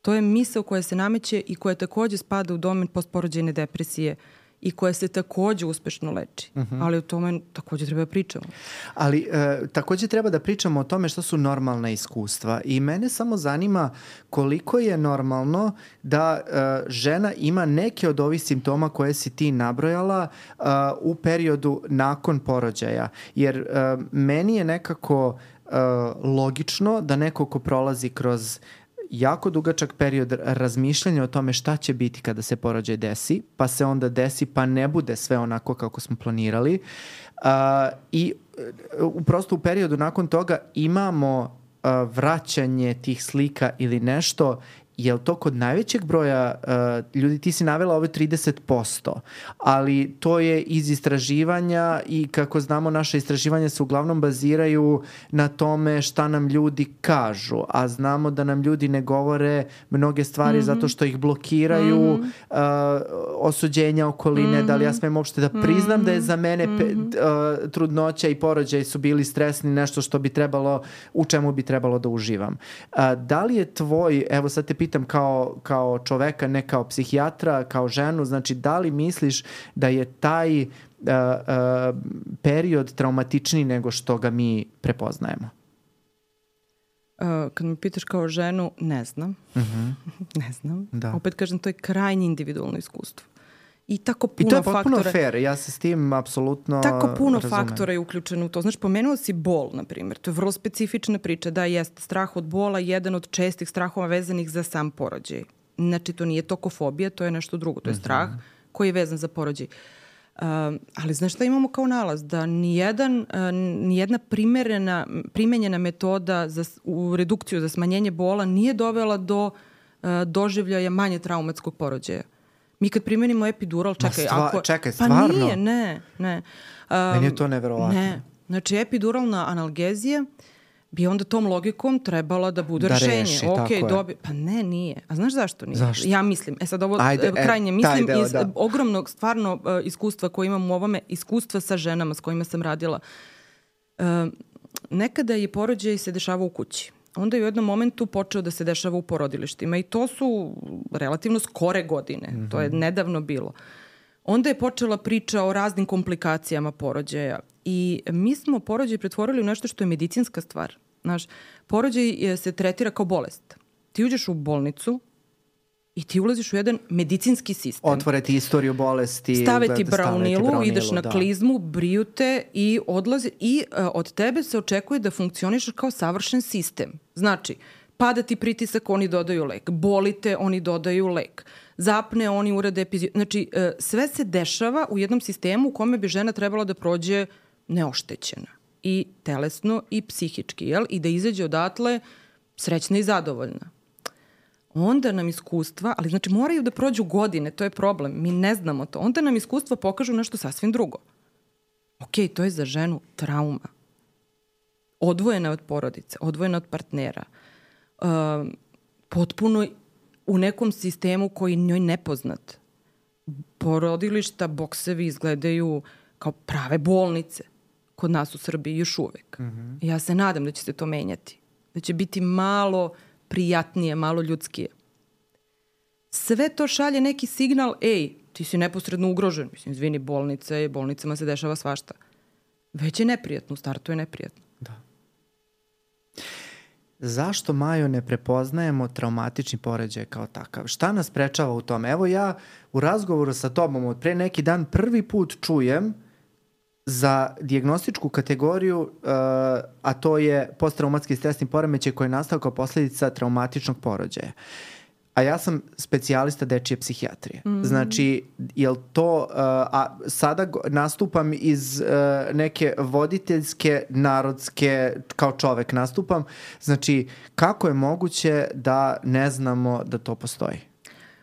To je misao koja se nameće i koja takođe spada u domen postporođajne depresije i koja se takođe uspešno leči. Uh-huh. Ali o tome takođe treba da pričamo. Ali e, takođe treba da pričamo o tome što su normalna iskustva. I mene samo zanima koliko je normalno da e, žena ima neke od ovih simptoma koje si ti nabrojala e, u periodu nakon porođaja. Jer e, meni je nekako e, logično da neko ko prolazi kroz jako dugačak period razmišljanja o tome šta će biti kada se porođaj desi, pa se onda desi, pa ne bude sve onako kako smo planirali. Uh, I uh, prosto u periodu nakon toga imamo uh, vraćanje tih slika ili nešto. Je li to kod najvećeg broja uh, ljudi, ti si navela ovo trideset posto, ali to je iz istraživanja i kako znamo naše istraživanja se uglavnom baziraju na tome šta nam ljudi kažu, a znamo da nam ljudi ne govore mnoge stvari mm-hmm. zato što ih blokiraju mm-hmm. uh, osuđenja okoline, mm-hmm. da li ja smem uopšte da priznam mm-hmm. da je za mene pe, uh, trudnoća i porođaj su bili stresni, nešto što bi trebalo, u čemu bi trebalo da uživam. Uh, da li je tvoj, evo sad te pitam kao, kao čoveka, ne kao psihijatra, kao ženu, znači da li misliš da je taj uh, uh, period traumatičniji nego što ga mi prepoznajemo? Uh, kad me pitaš kao ženu, ne znam. Uh-huh. ne znam. Da. Opet kažem, to je krajnje individualno iskustvo. I tako puno faktora... I to je potpuno faktora, fair, ja se s tim apsolutno tako puno razumem. Faktora je uključeno u to. Znaš, pomenuo si bol, na primjer. To je vrlo specifična priča. Da, jeste, strah od bola je jedan od čestih strahova vezanih za sam porođaj. Znači, to nije tokofobija, to je nešto drugo. To je strah uh-huh. koji je vezan za porođaj. Uh, ali znaš šta imamo kao nalaz? Da nijedan, uh, nijedna primerena, primenjena metoda za, u redukciju za smanjenje bola nije dovela do uh, doživljaja manje traumatskog porođaja. Mi kad primenimo epidural, čekaj, stva, ako... čekaj, stvarno? Pa nije, ne, ne. Um, Meni je to neverovatno. Ne. Znači, epiduralna analgezija bi onda tom logikom trebala da bude da rešenje. Reši, okay, dobi... Pa ne, nije. A znaš zašto nije? Zašto? Ja mislim, e sad ovo Ajde, krajnje e, mislim deo, iz da. ogromnog stvarno uh, iskustva koje imam u ovome, iskustva sa ženama s kojima sam radila. Uh, nekada je porođaj se dešava u kući. Onda je u jednom momentu počeo da se dešava u porodilištima i to su relativno skore godine. Mm-hmm. To je nedavno bilo. Onda je počela priča o raznim komplikacijama porođaja i mi smo porođaj pretvorili u nešto što je medicinska stvar. Znaš, porođaj se tretira kao bolest. Ti uđeš u bolnicu i ti ulaziš u jedan medicinski sistem. Otvore ti istoriju bolesti. Stave ti braunilu, ideš na da. klizmu, briju te i odlazi. I uh, od tebe se očekuje da funkcionišeš kao savršen sistem. Znači, pada ti pritisak, oni dodaju lek. Bolite, oni dodaju lek. Zapne, oni urade epiziju. Znači, uh, sve se dešava u jednom sistemu u kome bi žena trebala da prođe neoštećena. I telesno i psihički, jel? I da izađe odatle srećna i zadovoljna. Onda nam iskustva, ali znači moraju da prođu godine, to je problem, mi ne znamo to. Onda nam iskustva pokažu nešto sasvim drugo. Ok, to je za ženu trauma. Odvojena od porodice, odvojena od partnera. Uh, potpuno u nekom sistemu koji njoj nepoznat. Porodilišta, boksevi izgledaju kao prave bolnice. Kod nas u Srbiji još uvek. Mm-hmm. Ja se nadam da će se to menjati. Da će biti malo prijatnije, malo ljudskije. Sve to šalje neki signal, ej, ti si neposredno ugrožen. Mislim, izvini, bolnice, bolnicama se dešava svašta. Već je neprijatno, u startu je neprijatno. Da. Zašto, Majo, ne prepoznajemo traumatični porođaj kao takav? Šta nas sprečava u tome? Evo ja u razgovoru sa tobom od pre neki dan prvi put čujem za dijagnostičku kategoriju, uh, a to je posttraumatski stresni poremećaj koji je nastao kao posljedica traumatičnog porođaja. A ja sam specijalista dečije psihijatrije. Mm-hmm. Znači, jel to, uh, a sada go, nastupam iz uh, neke voditeljske, narodske, kao čovek nastupam. Znači, kako je moguće da ne znamo da to postoji?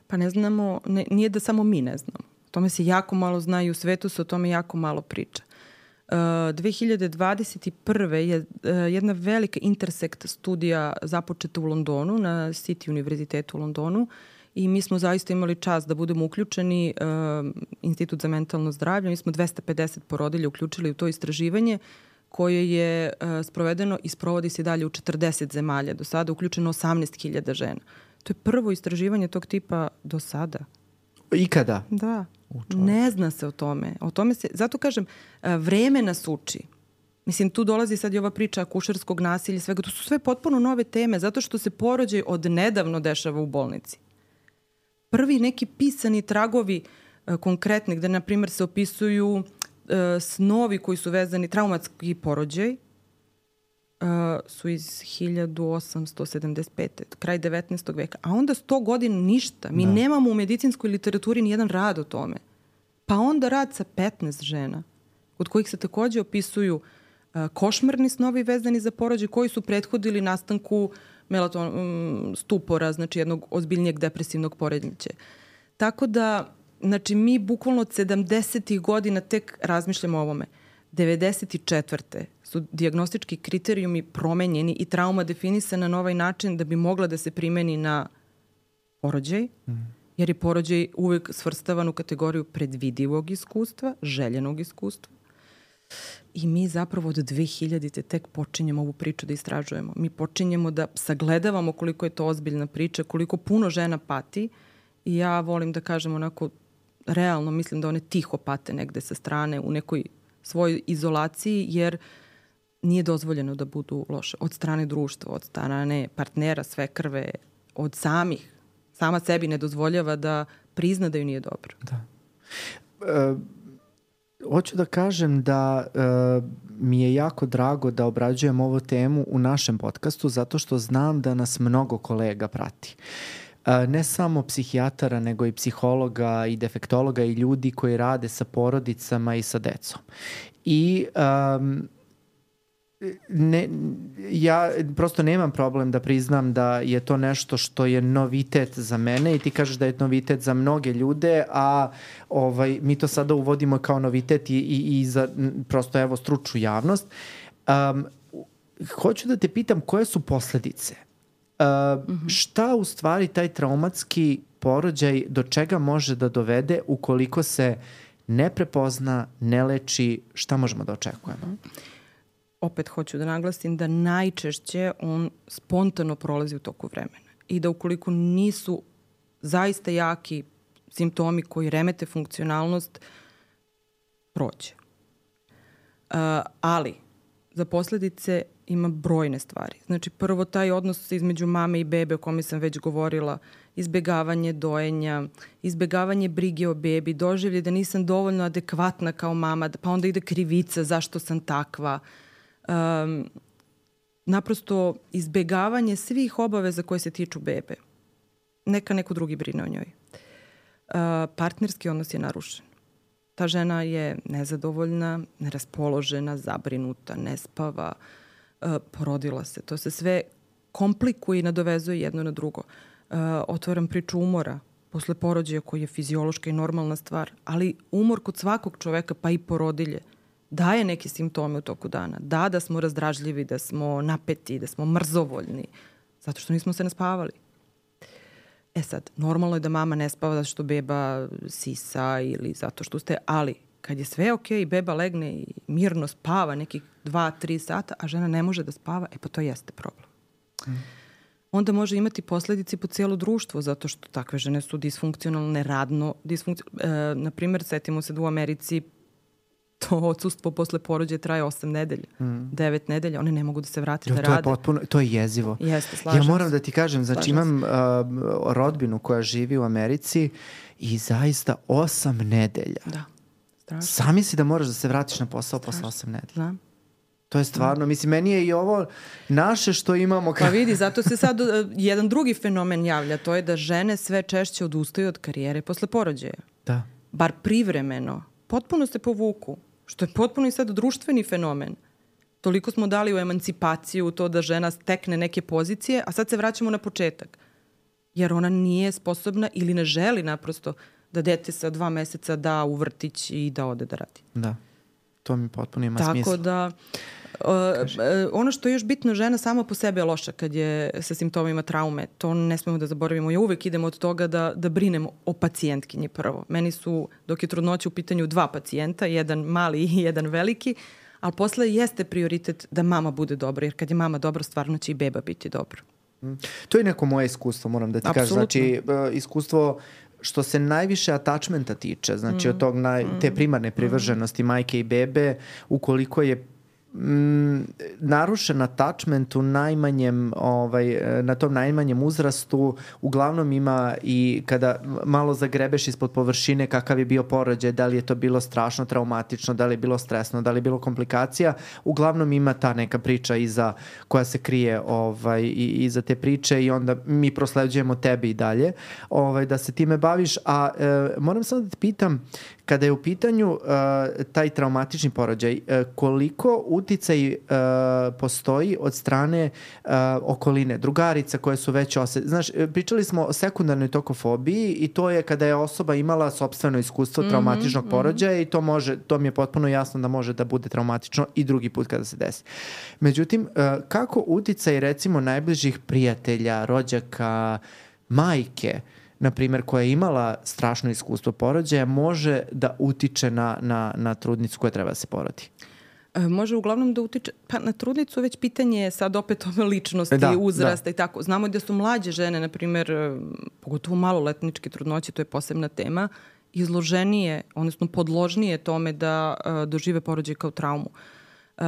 Pa ne znamo, ne, nije da samo mi ne znamo. O tome se jako malo zna i u svetu se o tome jako malo priča. Uh, dve hiljade dvadeset prve je uh, jedna velika intersekt studija započeta u Londonu, na City univerzitetu u Londonu i mi smo zaista imali čast da budemo uključeni, uh, Institut za mentalno zdravlje, mi smo dvesta pedeset porodilja uključili u to istraživanje koje je uh, sprovedeno i sprovodi se dalje u četrdeset zemalja. Do sada uključeno osamnaest hiljada žena. To je prvo istraživanje tog tipa do sada. Ikada? Da. Ne zna se o tome. O tome se, zato kažem, vreme nas uči. Mislim, tu dolazi sad i ova priča akušerskog nasilja i svega. To su sve potpuno nove teme, zato što se porođaj od nedavno dešava u bolnici. Prvi neki pisani tragovi konkretni, gde, na primjer, se opisuju uh, snovi koji su vezani, traumatski porođaj, uh, su iz hiljadu osamsto sedamdeset pete. kraj devetnaestog veka. A onda sto godina ništa. Mi da. nemamo u medicinskoj literaturi ni jedan rad o tome. Pa onda rad sa petnaest žena, od kojih se takođe opisuju uh, košmarni snovi vezani za porođaj, koji su prethodili nastanku melaton, um, stupora, znači jednog ozbiljnijeg depresivnog poremećaja. Tako da, znači, mi bukvalno od sedamdesetih godina tek razmišljamo o ovome. devedeset četvrte su dijagnostički kriterijumi promenjeni i trauma definisana na ovaj način da bi mogla da se primeni na porođaj, mm. jer je porođaj uvek svrstavan u kategoriju predvidivog iskustva, željenog iskustva. I mi zapravo od dve hiljadite tek počinjemo ovu priču da istražujemo. Mi počinjemo da sagledavamo koliko je to ozbiljna priča, koliko puno žena pati. I ja volim da kažem onako, realno mislim da one tiho pate negde sa strane u nekoj svojoj izolaciji, jer nije dozvoljeno da budu loše. Od strane društva, od strane partnera, svekrve, od samih. Sama sebi ne dozvoljava da prizna da ju nije dobro. Da. E, hoću da kažem da e, mi je jako drago da obrađujem ovu temu u našem podcastu, zato što znam da nas mnogo kolega prati. Ne samo psihijatara, nego i psihologa i defektologa i ljudi koji rade sa porodicama i sa decom. I um, ne, ja prosto nemam problem da priznam da je to nešto što je novitet za mene i ti kažeš da je novitet za mnoge ljude, a ovaj, mi to sada uvodimo kao novitet i, i, i za prosto evo stručnu javnost. Um, hoću da te pitam koje su posledice? Uh, mm-hmm. Šta u stvari taj traumatski porođaj do čega može da dovede ukoliko se ne prepozna, ne leči, šta možemo da očekujemo? Mm-hmm. Opet hoću da naglasim da najčešće on spontano prolazi u toku vremena i da ukoliko nisu zaista jaki simptomi koji remete funkcionalnost, prođe. Uh, ali za posledice ima brojne stvari. Znači, prvo taj odnos između mame i bebe o kome sam već govorila, izbegavanje dojenja, izbegavanje brige o bebi, doživlje da nisam dovoljno adekvatna kao mama, pa onda ide krivica zašto sam takva. Um, naprosto izbegavanje svih obaveza koje se tiču bebe. Neka neko drugi brine o njoj. Uh, partnerski odnos je narušen. Ta žena je nezadovoljna, neraspoložena, zabrinuta, ne spava, uh, porodila se. To se sve komplikuje i nadovezuje jedno na drugo. Uh, otvaram priču umora posle porođaja koji je fiziološka i normalna stvar, ali umor kod svakog čoveka, pa i porodilje, daje neke simptome u toku dana. Da, da smo razdražljivi, da smo napeti, da smo mrzovoljni, zato što nismo se naspavali. E sad, normalno je da mama ne spava zato što beba sisa ili zato što ste, ali kad je sve okej, beba legne i mirno spava nekih dva, tri sata, a žena ne može da spava, e pa to jeste problem. Mm. Onda može imati posledice po cijelo društvo, zato što takve žene su disfunkcionalne, radno disfunkcionalne. E, na primjer, setimo se da u Americi to odsustvo posle porođaja traje osam nedelja, mm. devet nedelja, one ne mogu da se vrate jo, da to rade. Je potpuno, to je jezivo. Jeste, slažem Ja moram da ti kažem, znači imam uh, rodbinu koja živi u Americi i zaista osam nedelja. Da, strašno. Sami si da moraš da se vratiš na posao strašno. Posle osam nedelja. Da. To je stvarno, mislim, meni je i ovo naše što imamo. Pa vidi, zato se sad uh, jedan drugi fenomen javlja, to je da žene sve češće odustaju od karijere posle porođaja. Da. Bar privremeno. Potpuno se povuku. Što je potpuno i sad društveni fenomen. Toliko smo dali u emancipaciju, u to da žena stekne neke pozicije, a sad se vraćamo na početak. Jer ona nije sposobna ili ne želi naprosto da dete sa dva meseca da u vrtić i da ode da radi. Da, to mi potpuno ima Tako smisla. Tako da, uh, ono što je još bitno, žena sama po sebi je loša kad je sa simptomima traume. To ne smemo da zaboravimo. Ja uvek idem od toga da, da brinemo o pacijentkinji prvo. Meni su, dok je trudnoća u pitanju, dva pacijenta, jedan mali i jedan veliki, ali posle jeste prioritet da mama bude dobra, jer kad je mama dobra, stvarno će i beba biti dobro. To je neko moje iskustvo, moram da ti kažem. Znači, iskustvo što se najviše attachmenta tiče, znači mm. od tog naj, te primarne privrženosti mm. majke i bebe, ukoliko je Mm, narušen attachment u najmanjem ovaj, na tom najmanjem uzrastu uglavnom ima i kada malo zagrebeš ispod površine kakav je bio porođaj, da li je to bilo strašno traumatično, da li je bilo stresno, da li je bilo komplikacija, uglavnom ima ta neka priča iza, koja se krije ovaj, i, iza te priče i onda mi prosleđujemo tebi i dalje ovaj, da se time baviš, a e, moram samo da te pitam, kada je u pitanju uh, taj traumatični porođaj, uh, koliko uticaj uh, postoji od strane uh, okoline, drugarica koje su već osjetile. Znaš, pričali smo o sekundarnoj tokofobiji i to je kada je osoba imala sopstveno iskustvo mm-hmm, traumatičnog mm-hmm. porođaja i to može, to mi je potpuno jasno da može da bude traumatično i drugi put kada se desi. Međutim, uh, kako uticaj recimo najbližih prijatelja, rođaka, majke, na primjer, koja je imala strašno iskustvo porođaja, može da utiče na, na, na trudnicu koja treba da se porodi? E, može uglavnom da utiče, pa na trudnicu već pitanje je sad opet ove ličnosti, da, uzrasta da. I tako. Znamo da su mlađe žene, na primjer, pogotovo maloletničke trudnoće, to je posebna tema, izloženije, odnosno podložnije tome da uh, dožive porođaj kao traumu. Uh,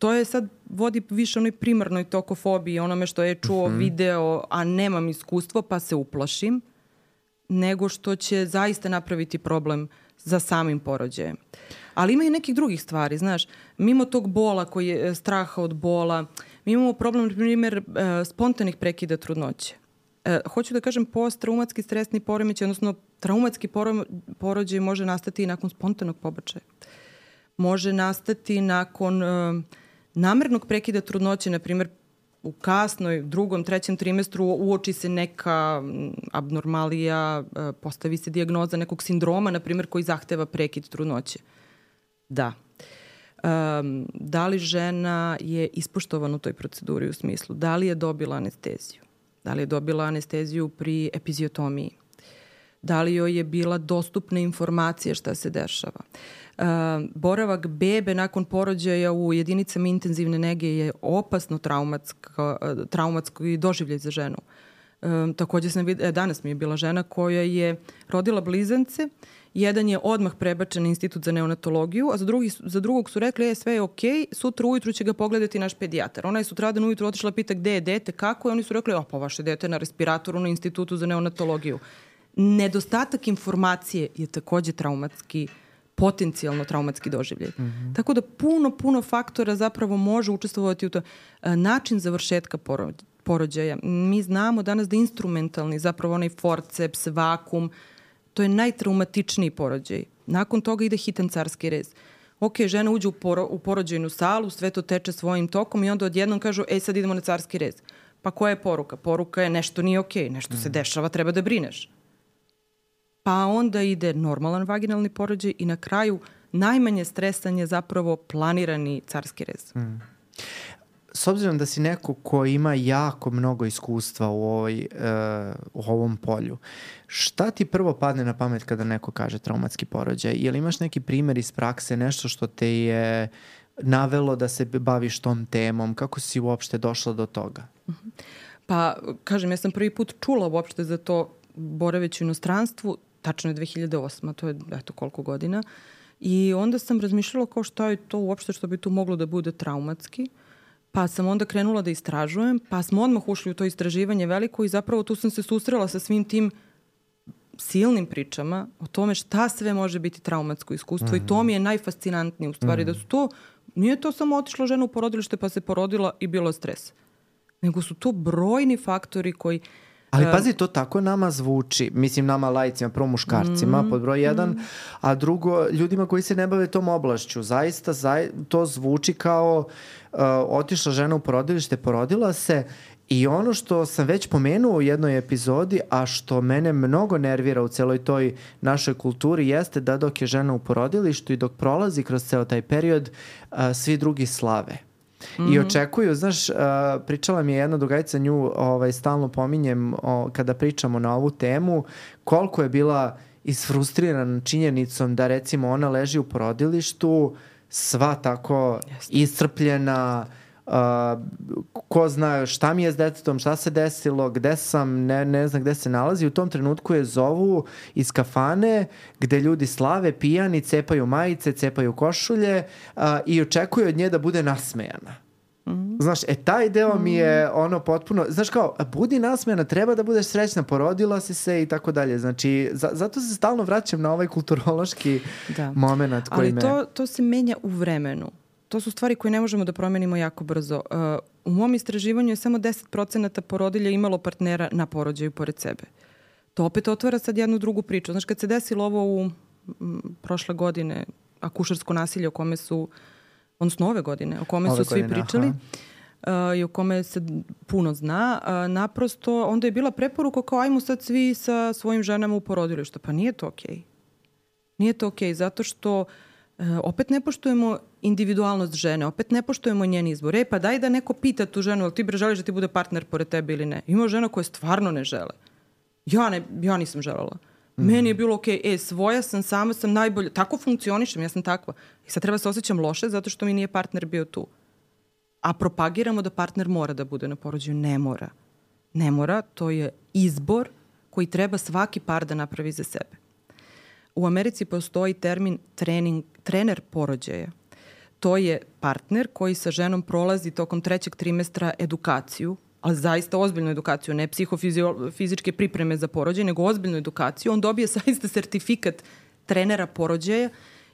To je sad, vodi više onoj primarnoj tokofobiji, onome što je čuo, mm-hmm. video, a nemam iskustvo pa se uplašim, nego što će zaista napraviti problem za samim porođajem. Ali ima i nekih drugih stvari, znaš, mimo tog bola koji je straha od bola, mi imamo problem, na primjer, spontanih prekida trudnoće. E, hoću da kažem, post-traumatski stresni poremećaj, odnosno traumatski porođaj može nastati i nakon spontanog pobačaja. Može nastati nakon uh, namernog prekida trudnoće, na primjer u kasnoj, drugom, trećem trimestru uoči se neka abnormalija, uh, postavi se dijagnoza nekog sindroma, na primjer, koji zahteva prekid trudnoće. Da. Um, da li žena je ispoštovana u toj proceduri u smislu? Da li je dobila anesteziju? Da li je dobila anesteziju pri epiziotomiji? Da li joj je bila dostupna informacija šta se dešava? Uh, boravak bebe nakon porođaja u jedinicama intenzivne nege je opasno traumatsko, uh, traumatsko i doživljaj za ženu. Uh, također sam videla, danas mi je bila žena koja je rodila blizance, jedan je odmah prebačen na institut za neonatologiju, a za, drugi, za drugog su rekli, je sve je okej, sutra ujutru će ga pogledati naš pedijatar. Ona je sutradan ujutru otišla pita gde je dete, kako je, oni su rekli, o pa vaše dete je na respiratoru na institutu za neonatologiju. Nedostatak informacije je također traumatski, potencijalno traumatski doživljaj. Mm-hmm. Tako da puno, puno faktora zapravo može učestvovati u to. Način završetka porođaja. Mi znamo danas da instrumentalni, zapravo onaj forceps, vakum, to je najtraumatičniji porođaj. Nakon toga ide hitan carski rez. Ok, žena uđe u, poro, u porođajnu salu, sve to teče svojim tokom i onda odjednom kažu, ej, sad idemo na carski rez. Pa koja je poruka? Poruka je nešto nije ok, nešto mm. se dešava, treba da brineš. Pa onda ide normalan vaginalni porođaj i na kraju najmanje stresan je zapravo planirani carski rez. Mm. S obzirom da si neko ko ima jako mnogo iskustva u, ovoj, uh, u ovom polju, šta ti prvo padne na pamet kada neko kaže traumatski porođaj? Je li imaš neki primjer iz prakse, nešto što te je navelo da se baviš tom temom? Kako si uopšte došla do toga? Mm-hmm. Pa, kažem, ja sam prvi put čula uopšte za to boraveći u inostranstvu, tačno je dve hiljade osma, to je eto koliko godina. I onda sam razmišljala kao šta je to uopšte što bi tu moglo da bude traumatski. Pa sam onda krenula da istražujem, pa smo odmah ušli u to istraživanje veliko i zapravo tu sam se susrela sa svim tim silnim pričama o tome šta sve može biti traumatsko iskustvo mm-hmm. i to mi je najfascinantnije u stvari mm-hmm. da su to, nije to samo otišla žena u porodilište pa se porodila i bilo stres, nego su to brojni faktori koji Ali pazi, to tako nama zvuči, mislim nama lajcima, prvo muškarcima, mm, pod broj jedan, mm. a drugo ljudima koji se ne bave tom oblašću. Zaista zaj, to zvuči kao uh, otišla žena u porodilište, porodila se i ono što sam već pomenuo u jednoj epizodi, a što mene mnogo nervira u celoj toj našoj kulturi jeste da dok je žena u porodilištu i dok prolazi kroz ceo taj period, uh, svi drugi slave. Mm-hmm. I očekuju, znaš, uh, pričala mi je jedna drugarica, nju ovaj, stalno pominjem o, kada pričamo na ovu temu, koliko je bila isfrustrirana činjenicom da recimo ona leži u porodilištu, sva tako Jasne. iscrpljena, uh, ko zna šta mi je s detetom, šta se desilo, gde sam, ne, ne znam gde se nalazi. U tom trenutku je zovu iz kafane gde ljudi slave, pijani, cepaju majice, cepaju košulje uh, i očekuju od nje da bude nasmejana. Mm-hmm. Znaš, e taj deo mm-hmm. mi je ono potpuno, znaš kao, budi nasmejana, treba da budeš srećna, porodila si se i tako dalje. Znači, za, zato se stalno vraćam na ovaj kulturološki da. moment koji Ali me... Ali to, to se menja u vremenu. To su stvari koje ne možemo da promenimo jako brzo. Uh, u mom istraživanju je samo deset procenata porodilja imalo partnera na porođaju pored sebe. To opet otvara sad jednu drugu priču. Znaš, kad se desilo ovo u m, prošle godine, akušersko nasilje o kome su, odnosno ove godine, o kome ove su godine, svi pričali uh, i o kome se puno zna, uh, naprosto onda je bila preporuka kao ajmo sad svi sa svojim ženama u porodilištu. Pa nije to okej. Okay. Nije to okej, okay, zato što uh, opet ne poštujemo individualnost žene, opet ne poštujemo njen izbor. E, pa daj da neko pita tu ženu, ali ti bre želiš da ti bude partner pored tebe ili ne. Ima žena koje stvarno ne žele. Ja, ne, ja nisam želela. Mm. Meni je bilo okej, okay, e, svoja sam, sama sam najbolja. Tako funkcionišem, ja sam takva. I sad treba se osjećam loše zato što mi nije partner bio tu. A propagiramo da partner mora da bude na porođaju. Ne mora. Ne mora, to je izbor koji treba svaki par da napravi za sebe. U Americi postoji termin trening, trener porođaja. To je partner koji sa ženom prolazi tokom trećeg trimestra edukaciju, ali zaista ozbiljnu edukaciju, ne psihofizičke pripreme za porođaj, nego ozbiljnu edukaciju. On dobije zaista sertifikat trenera porođaja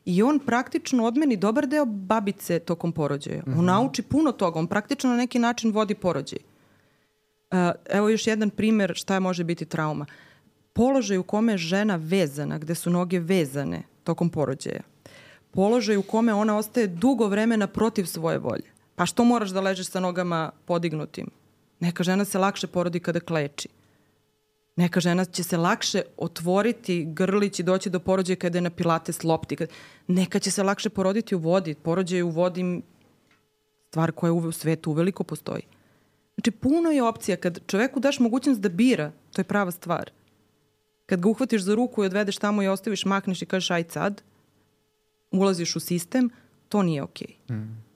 i on praktično odmeni dobar deo babice tokom porođaja. Mm-hmm. On nauči puno toga, on praktično na neki način vodi porođaj. Uh, evo još jedan primer šta može biti trauma. Položaj u kome je žena vezana, gde su noge vezane tokom porođaja. Položaj u kome ona ostaje dugo vremena protiv svoje volje. Pa što moraš da ležeš sa nogama podignutim? Neka žena se lakše porodi kada kleči. Neka žena će se lakše otvoriti grlić i doći do porođaja kada je na pilates lopti. Neka će se lakše poroditi u vodi. Porođaj u vodi stvar koja u svetu uveliko postoji. Znači, puno je opcija. Kad čoveku daš mogućnost da bira, to je prava stvar. Kad ga uhvatiš za ruku i odvedeš tamo i ostaviš, makneš i kažeš aj sad, ulaziš u sistem, to nije okej. Okay. Mm.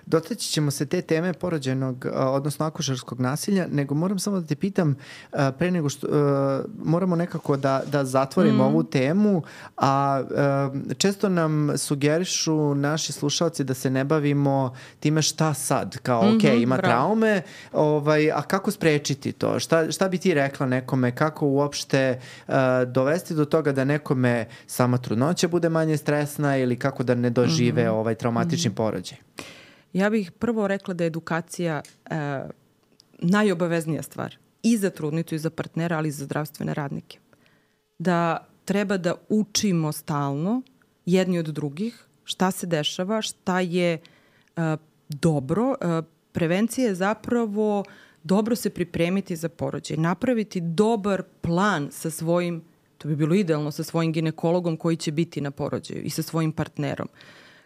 Dotaći ćemo se te teme porođajnog, odnosno akušerskog nasilja, nego moram samo da te pitam, pre nego što moramo nekako da, da zatvorimo mm. ovu temu, a često nam sugerišu naši slušalci da se ne bavimo time šta sad, kao mm-hmm, ok, ima bravo. traume, ovaj, a kako sprečiti to? Šta, šta bi ti rekla nekome, kako uopšte uh, dovesti do toga da nekome sama trudnoća bude manje stresna ili kako da ne dožive mm-hmm. ovaj traumatični mm-hmm. porođaj? Ja bih prvo rekla da je edukacija e, najobaveznija stvar i za trudnicu i za partnera, ali i za zdravstvene radnike. Da treba da učimo stalno jedni od drugih šta se dešava, šta je e, dobro. E, prevencija je zapravo dobro se pripremiti za porođaj, napraviti dobar plan sa svojim, to bi bilo idealno, sa svojim ginekologom koji će biti na porođaju i sa svojim partnerom.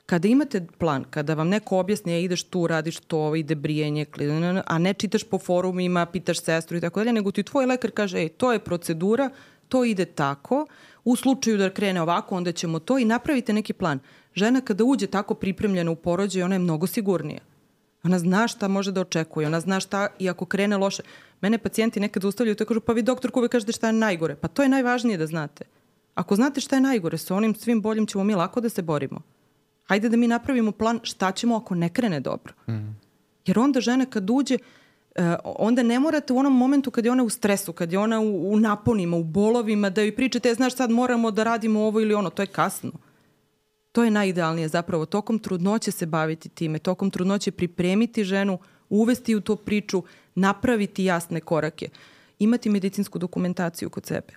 Kada imate plan, kada vam neko objasni, ja ideš tu, radiš to, ide brijenje, a ne čitaš po forumima, pitaš sestru i tako dalje, nego ti tvoj lekar kaže, ej, to je procedura, to ide tako, u slučaju da krene ovako, onda ćemo to i napravite neki plan. Žena kada uđe tako pripremljena u porođaj, ona je mnogo sigurnija. Ona zna šta može da očekuje, ona zna šta i ako krene loše. Mene pacijenti nekad ustavljaju i kažu, pa vi doktorku uvek kažete šta je najgore. Pa to je najvažnije da znate. Ako znate šta je najgore, sa onim svim boljim ćemo mi lako da se borimo. Hajde da mi napravimo plan šta ćemo ako ne krene dobro. Mm. Jer onda žena kad uđe, uh, onda ne morate u onom momentu kad je ona u stresu, kad je ona u, u naponima, u bolovima, da joj pričate, e, znaš sad moramo da radimo ovo ili ono, to je kasno. To je najidealnije zapravo. Tokom trudnoće se baviti time, tokom trudnoće pripremiti ženu, uvesti u tu priču, napraviti jasne korake, imati medicinsku dokumentaciju kod sebe.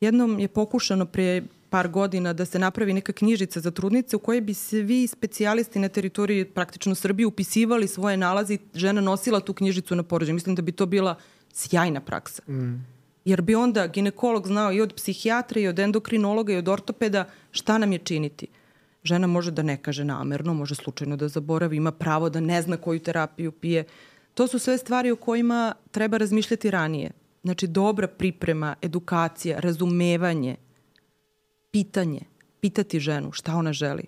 Jednom je pokušano pre par godina da se napravi neka knjižica za trudnice u kojoj bi svi specijalisti na teritoriji praktično Srbije upisivali svoje nalaze i žena nosila tu knjižicu na porođaj. Mislim da bi to bila sjajna praksa. Mm. Jer bi onda ginekolog znao i od psihijatra i od endokrinologa i od ortopeda šta nam je činiti. Žena može da ne kaže namerno, može slučajno da zaboravi, ima pravo da ne zna koju terapiju pije. To su sve stvari o kojima treba razmišljati ranije. Znači dobra priprema, edukacija, razumevanje, pitanje, pitati ženu šta ona želi.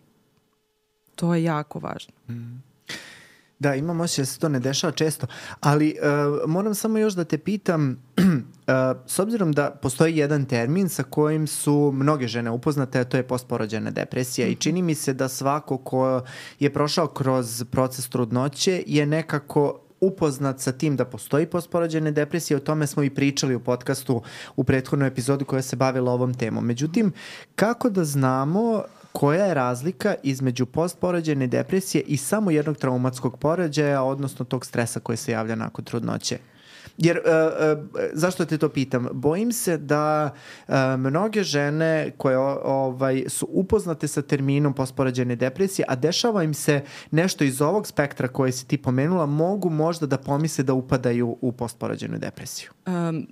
To je jako važno. Mm. Da, imam osjećaj da se to ne dešava često, ali uh, moram samo još da te pitam, uh, s obzirom da postoji jedan termin sa kojim su mnoge žene upoznate, a to je postporođajna depresija, mm-hmm. i čini mi se da svako ko je prošao kroz proces trudnoće je nekako upoznat sa tim da postoji postporođajna depresija. O tome smo i pričali u podcastu u prethodnoj epizodi koja se bavila ovom temom. Međutim, kako da znamo koja je razlika između postporođajne depresije i samo jednog traumatskog porođaja, odnosno tog stresa koji se javlja nakon trudnoće? Jer, uh, uh, zašto te to pitam? Bojim se da uh, mnoge žene koje ovaj, su upoznate sa terminom postporođajne depresije, a dešava im se nešto iz ovog spektra koje si ti pomenula, mogu možda da pomisle da upadaju u postporođajnu depresiju. Um,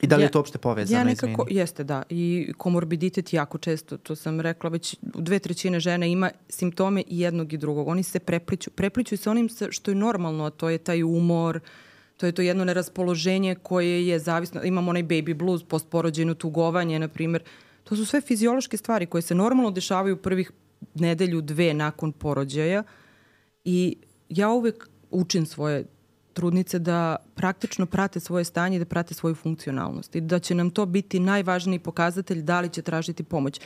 I da li ja, je to uopšte povezano? Ja nekako, jeste, da. I komorbiditet jako često, to sam rekla, već dve trećine žena ima simptome i jednog i drugog. Oni se prepliću. Prepliću se onim što je normalno, a to je taj umor, to je to jedno neraspoloženje koje je zavisno. Imamo onaj baby blues, postporođajno tugovanje, na primjer. To su sve fiziološke stvari koje se normalno dešavaju prvih nedelju, dve nakon porođaja. I ja uvek učim svoje trudnice da praktično prate svoje stanje i da prate svoju funkcionalnost. I da će nam to biti najvažniji pokazatelj da li će tražiti pomoć.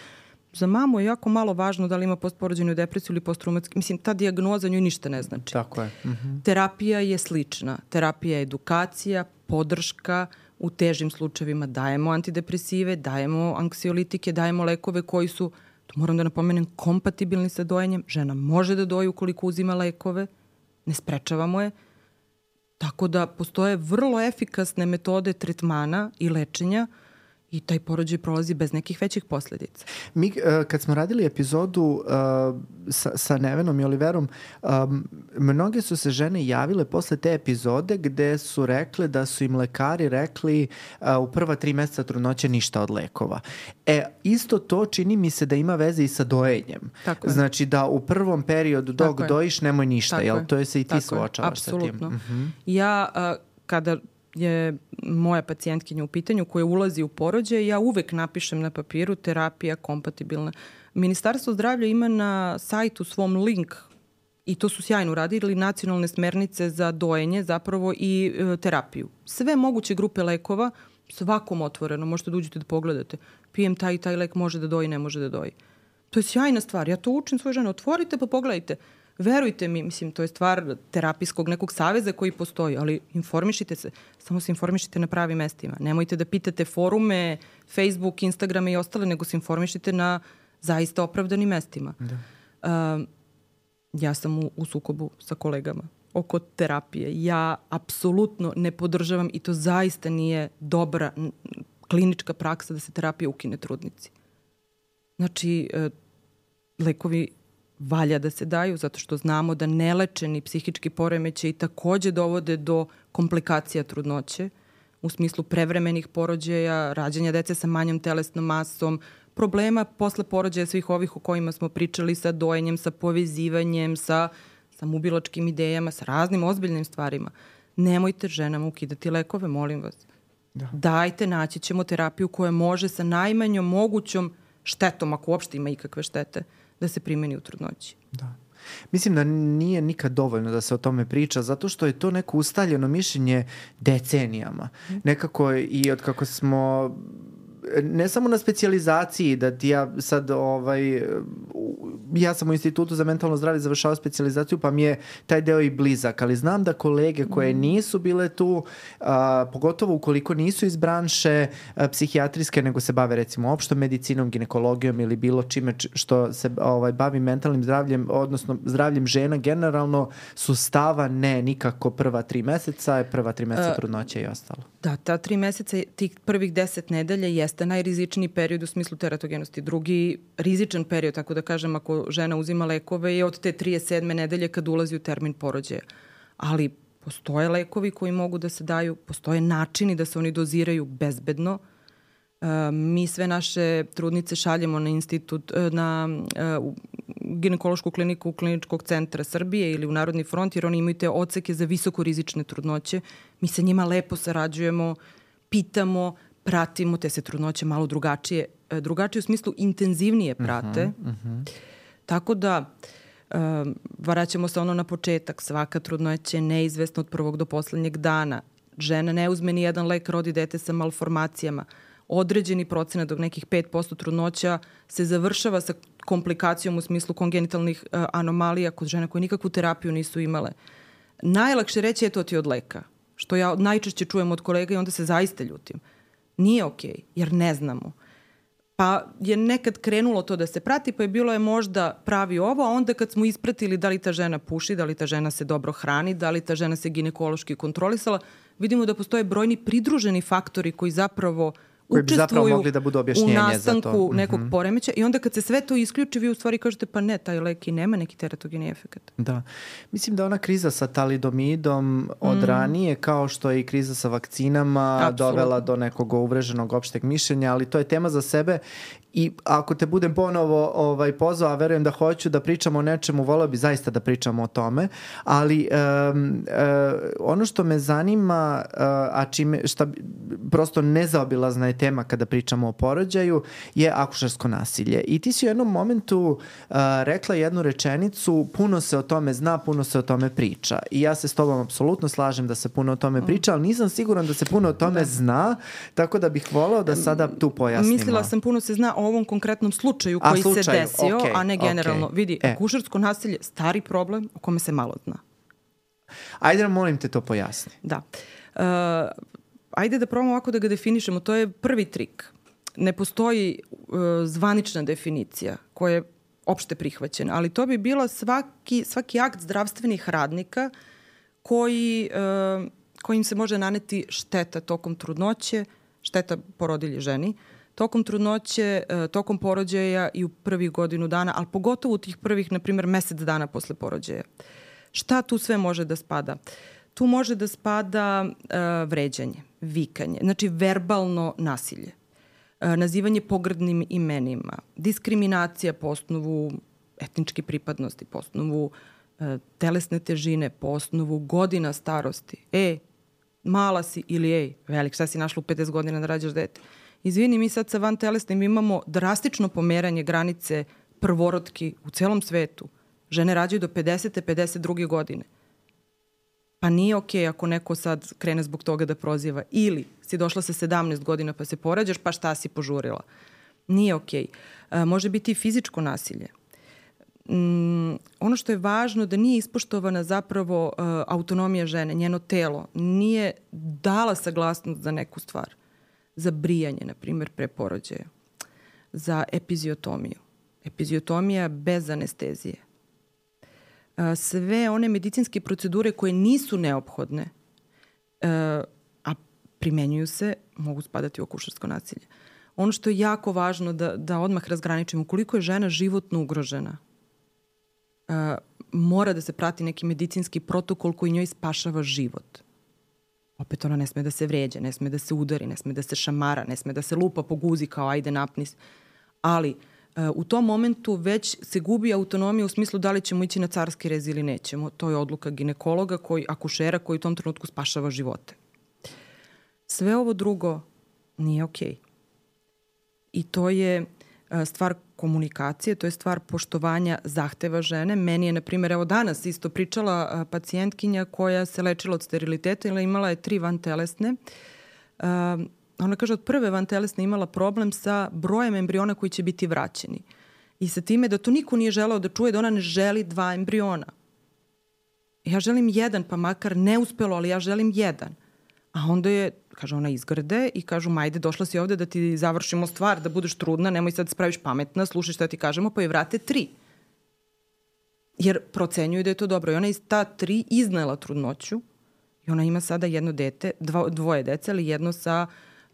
Za mamu je jako malo važno da li ima postporođajnu depresiju ili posttraumatski. Mislim, ta dijagnoza njoj ništa ne znači. Tako je. Mm-hmm. Terapija je slična. Terapija je edukacija, podrška. U težim slučajevima dajemo antidepresive, dajemo anksiolitike, dajemo lekove koji su, to moram da napomenem, kompatibilni sa dojenjem. Žena može da doji ukoliko uzima lekove. Ne sprečavamo je. Tako da postoje vrlo efikasne metode tretmana i lečenja i taj porođaj prolazi bez nekih većih posledica. Mi, uh, kad smo radili epizodu uh, sa, sa Nevenom i Oliverom, um, mnoge su se žene javile posle te epizode gde su rekle da su im lekari rekli uh, u prva tri meseca trudnoće ništa od lekova. E, isto to čini mi se da ima veze i sa dojenjem. Tako znači je. Da u prvom periodu dok Tako dojiš nemoj ništa, Tako jel? Je. To je se i ti Tako suočavaš sa tim. Apsolutno. Uh-huh. Ja, uh, kada je moja pacijentkinja u pitanju koja ulazi u porođaj, ja uvek napišem na papiru terapija kompatibilna. Ministarstvo zdravlja ima na sajtu svom link i to su sjajno uradili, nacionalne smernice za dojenje zapravo i e, terapiju. Sve moguće grupe lekova, svakom otvoreno, možete da uđete da pogledate. Pijem taj i taj lek, može da doji, ne može da doji. To je sjajna stvar. Ja to učim svoje žene. Otvorite pa pogledajte. Verujte mi, mislim, to je stvar terapijskog nekog saveza koji postoji, ali informišite se, samo se informišite na pravim mestima. Nemojte da pitate forume, Facebook, Instagram i ostale, nego se informišite na zaista opravdanim mestima. Da. Uh, ja sam u, u sukobu sa kolegama oko terapije. Ja apsolutno ne podržavam i to zaista nije dobra klinička praksa da se terapija ukine trudnici. Znači, uh, lekovi valja da se daju, zato što znamo da nelečeni psihički poremećaji takođe dovode do komplikacija trudnoće, u smislu prevremenih porođaja, rađanja dece sa manjom telesnom masom, problema posle porođaja svih ovih o kojima smo pričali, sa dojenjem, sa povezivanjem, sa samoubilačkim idejama, sa raznim ozbiljnim stvarima. Nemojte ženama ukidati lekove, molim vas. Da. Dajte, naći ćemo terapiju koja može sa najmanjom mogućom štetom, ako uopšte ima ikakve štete, da se primeni u trudnoći. Da. Mislim da nije nikad dovoljno da se o tome priča, zato što je to neko ustaljeno mišljenje decenijama. Nekako i od kako smo, ne samo na specijalizaciji, da ti ja sad, ovaj, ja sam u Institutu za mentalno zdravlje završao specijalizaciju, pa mi je taj deo i blizak, ali znam da kolege koje nisu bile tu, a, pogotovo ukoliko nisu iz branše a, psihijatrijske, nego se bave recimo opštom medicinom, ginekologijom ili bilo čime što se ovaj, bavi mentalnim zdravljem, odnosno zdravljem žena, generalno su stava ne, nikako prva tri meseca, prva tri meseca trudnoće i ostalo. Da, ta tri meseca, tih prvih deset nedelja jeste najrizičniji period u smislu teratogenosti. Drugi rizičan period, tako da kažem, ako žena uzima lekove, je od te trideset sedme nedelje kad ulazi u termin porođaja. Ali postoje lekovi koji mogu da se daju, postoje načini da se oni doziraju bezbedno. Uh, mi sve naše trudnice šaljemo na institut, na uh, ginekološku kliniku Kliničkog centra Srbije ili u Narodni front, jer oni imaju te odseke za visokorizične trudnoće. Mi sa njima lepo sarađujemo, pitamo, pratimo, te se trudnoće malo drugačije, drugačije u smislu intenzivnije prate. Uh-huh, uh-huh. Tako da Um, vraćamo se ono na početak. Svaka trudnoća je neizvesna od prvog do poslednjeg dana. Žena ne uzme ni jedan lek, rodi dete sa malformacijama. Određeni procenat od nekih pet posto trudnoća se završava sa komplikacijom u smislu kongenitalnih uh, anomalija kod žena koje nikakvu terapiju nisu imale. Najlakše reći je to ti od leka, što ja najčešće čujem od kolega i onda se zaista ljutim. Nije okej, okay, jer ne znamo. Pa je nekad krenulo to da se prati, pa je bilo je možda pravi ovo, a onda kad smo ispratili da li ta žena puši, da li ta žena se dobro hrani, da li ta žena se ginekološki kontrolisala, vidimo da postoje brojni pridruženi faktori koji zapravo koji bi zapravo mogli da budu objašnjenje u nastanku za to. nekog mm-hmm. poremeća i onda kad se sve to isključi, vi u stvari kažete pa ne, taj lek i nema neki teratogeni efekt. Da. Mislim da ona kriza sa talidomidom od mm. ranije, kao što je i kriza sa vakcinama, Absolutno. dovela do nekog uvreženog opšteg mišljenja, ali to je tema za sebe i ako te budem ponovo ovaj, pozvao, a verujem da hoću da pričamo o nečemu, voleo bi zaista da pričamo o tome, ali um, uh, ono što me zanima, uh, a čime, šta prosto nezaobilazna je tema kada pričamo o porođaju, je akušersko nasilje. I ti si u jednom momentu uh, rekla jednu rečenicu, puno se o tome zna, puno se o tome priča. I ja se s tobom apsolutno slažem da se puno o tome priča, ali nisam siguran da se puno o tome da. zna, tako da bih voleo da sada tu pojasnimo. Mislila sam puno se zna o ovom konkretnom slučaju koji a, slučaju, se desio, okay, a ne generalno. Okay. Vidi, e. akušersko nasilje, stari problem o kome se malo zna. Ajde da molim te to pojasni. Da. Uh, ajde da probamo ovako da ga definišemo. To je prvi trik. Ne postoji uh, zvanična definicija koja je opšte prihvaćena, ali to bi bilo svaki, svaki akt zdravstvenih radnika koji, uh, kojim se može naneti šteta tokom trudnoće, šteta porodilje ženi, tokom trudnoće, uh, tokom porođaja i u prvih godinu dana, ali pogotovo u tih prvih, na primjer, mesec dana posle porođaja. Šta tu sve može da spada? Tu može da spada uh, vređanje, vikanje, znači verbalno nasilje, uh, nazivanje pogrdnim imenima, diskriminacija po osnovu etničke pripadnosti, po osnovu uh, telesne težine, po osnovu godina starosti. E, mala si ili ej, velik, šta si našla u pedeset godina da rađaš dete? Izvini, mi sad sa van telesnim imamo drastično pomeranje granice prvorodki u celom svetu. Žene rađaju do pedesete, pedeset druge godine. Pa nije okej okay ako neko sad krene zbog toga da proziva. Ili si došla sa sedamnaest godina pa se porađaš, pa šta si požurila. Nije okej. Okay. Može biti i fizičko nasilje. Mm, ono što je važno da nije ispoštovana zapravo uh, autonomija žene, njeno telo. Nije dala saglasnost za neku stvar. Za brijanje, na primjer, pre porođaja. Za epiziotomiju. Epiziotomija bez anestezije. Sve one medicinske procedure koje nisu neophodne, a primenjuju se, mogu spadati u akušersko nasilje. Ono što je jako važno da, da odmah razgraničimo, koliko je žena životno ugrožena, mora da se prati neki medicinski protokol koji njoj spašava život. Opet ona ne sme da se vređa, ne sme da se udari, ne sme da se šamara, ne sme da se lupa po guzi kao ajde napnis. Ali u tom momentu već se gubi autonomija u smislu da li ćemo ići na carski rez ili nećemo. To je odluka ginekologa, koji, akušera koji u tom trenutku spašava živote. Sve ovo drugo nije okej. Okay. I to je stvar komunikacije, to je stvar poštovanja zahteva žene. Meni je, na primjer, evo danas isto pričala pacijentkinja koja se lečila od steriliteta ili imala je tri vantelesne. Ona kaže od prve vantelesne imala problem sa brojem embriona koji će biti vraćeni. I sa time da to niko nije želeo da čuje da ona ne želi dva embriona. Ja želim jedan, pa makar neuspelo, ali ja želim jedan. A onda je, kaže ona, izgrde i kažu, majde, došla si ovde da ti završimo stvar, da budeš trudna, nemoj sad spraviš pametna, slušaj šta ti kažemo, pa je vrate tri. Jer procenjuju da je to dobro. I ona iz ta tri iznela trudnoću i ona ima sada jedno dete, dvo, dvoje dece, ali jedno sa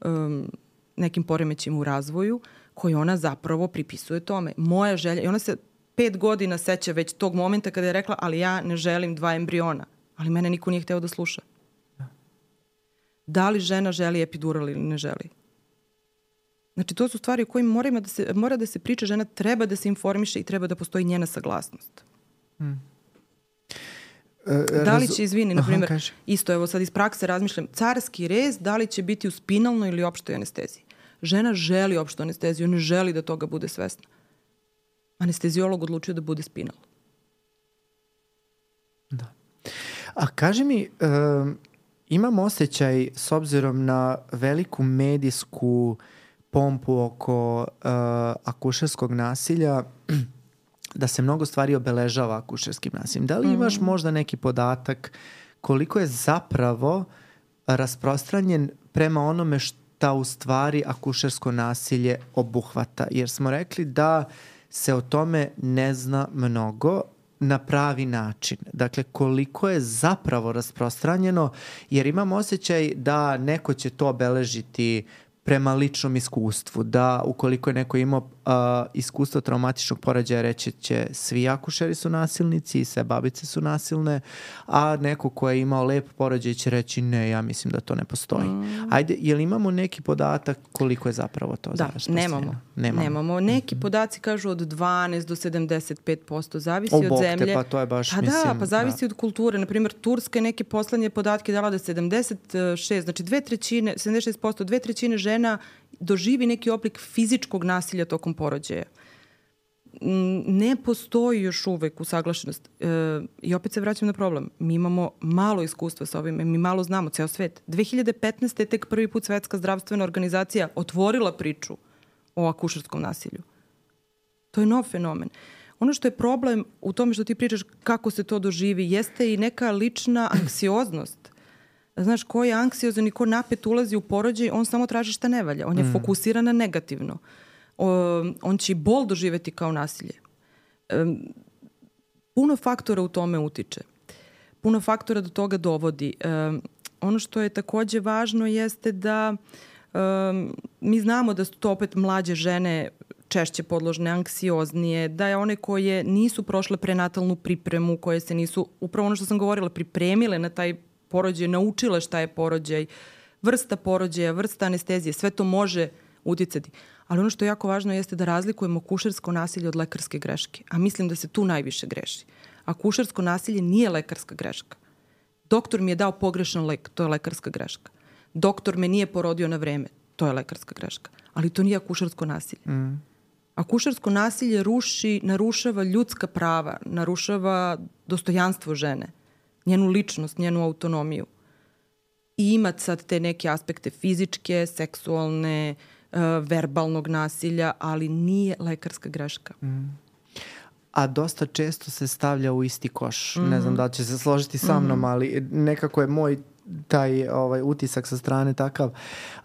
um, nekim poremećima u razvoju koji ona zapravo pripisuje tome. Moja želja, i ona se pet godina seća već tog momenta kada je rekla, ali ja ne želim dva embriona. Ali mene niko nije hteo da sluša. Da li žena želi epidural ili ne želi? Znači, to su stvari o kojima mora da se, mora da se priča, žena treba da se informiše i treba da postoji njena saglasnost. Hmm. Da li će, izvini, na primjer, Aha, isto, evo sad iz prakse razmišljam, carski rez, da li će biti u spinalnoj ili opštoj anesteziji? Žena želi opštu anesteziju, ne želi da toga bude svesna. Anesteziolog odlučio da bude spinal. A kaži mi, um, imam osjećaj s obzirom na veliku medijsku pompu oko uh, akušerskog nasilja da se mnogo stvari obeležava akušerskim nasiljem. Da li imaš mm. možda neki podatak koliko je zapravo rasprostranjen prema onome šta u stvari akušersko nasilje obuhvata? Jer smo rekli da se o tome ne zna mnogo na pravi način. Dakle, koliko je zapravo rasprostranjeno, jer imam osjećaj da neko će to obeležiti prema ličnom iskustvu, da ukoliko je neko imao uh, iskustvo traumatičnog poređaja, reći će svi akušeri su nasilnici i sve babice su nasilne, a neko ko je imao lep poređaj će reći ne, ja mislim da to ne postoji. Mm. Ajde, je li imamo neki podatak koliko je zapravo to? Da, nemamo. nemamo. Nemamo. Neki podaci kažu od dvanaest do sedamdeset pet posto, zavisi o, od zemlje. Te, pa to je baš, pa mislim... Da, pa zavisi da. od kulture. Naprimjer, Turska je neke poslednje podatke dala da sedamdeset šest, znači dve trećine, sedamdeset šest posto, dve trećine žena doživi neki oblik fizičkog nasilja tokom porođaja. Ne postoji još uvek usaglašenost. E, I opet se vraćam na problem. Mi imamo malo iskustva sa ovim, mi malo znamo, ceo svet. dve hiljade petnaeste. je tek prvi put Svetska zdravstvena organizacija otvorila priču o akušerskom nasilju. To je nov fenomen. Ono što je problem u tome što ti pričaš kako se to doživi, jeste i neka lična anksioznost. Znaš, ko je anksiozan i ko napet ulazi u porođaj, on samo traži šta ne valja. On je mm. fokusiran na negativno. O, on će i bol doživeti kao nasilje. E, puno faktora u tome utiče. Puno faktora do toga dovodi. E, ono što je takođe važno jeste da e, mi znamo da su to opet mlađe žene češće podložne, anksioznije, da je one koje nisu prošle prenatalnu pripremu, koje se nisu, upravo ono što sam govorila, pripremile na taj porođaj, naučile šta je porođaj, vrsta porođaja, vrsta anestezije, sve to može uticati. Ali ono što je jako važno jeste da razlikujemo akušersko nasilje od lekarske greške. A mislim da se tu najviše greši. Akušersko nasilje nije lekarska greška. Doktor mi je dao pogrešan lek, to je lekarska greška. Doktor me nije porodio na vreme, to je lekarska greška. Ali to nije akušersko nasilje. Mm. Akušersko nasilje ruši, narušava ljudska prava, narušava dostojanstvo žene, njenu ličnost, njenu autonomiju. I ima sad te neke aspekte fizičke, seksualne, uh, verbalnog nasilja, ali nije lekarska greška. Mm. A dosta često se stavlja u isti koš. Mm-hmm. Ne znam da li će se složiti sa mnom, mm-hmm. ali nekako je moj taj ovaj, utisak sa strane takav.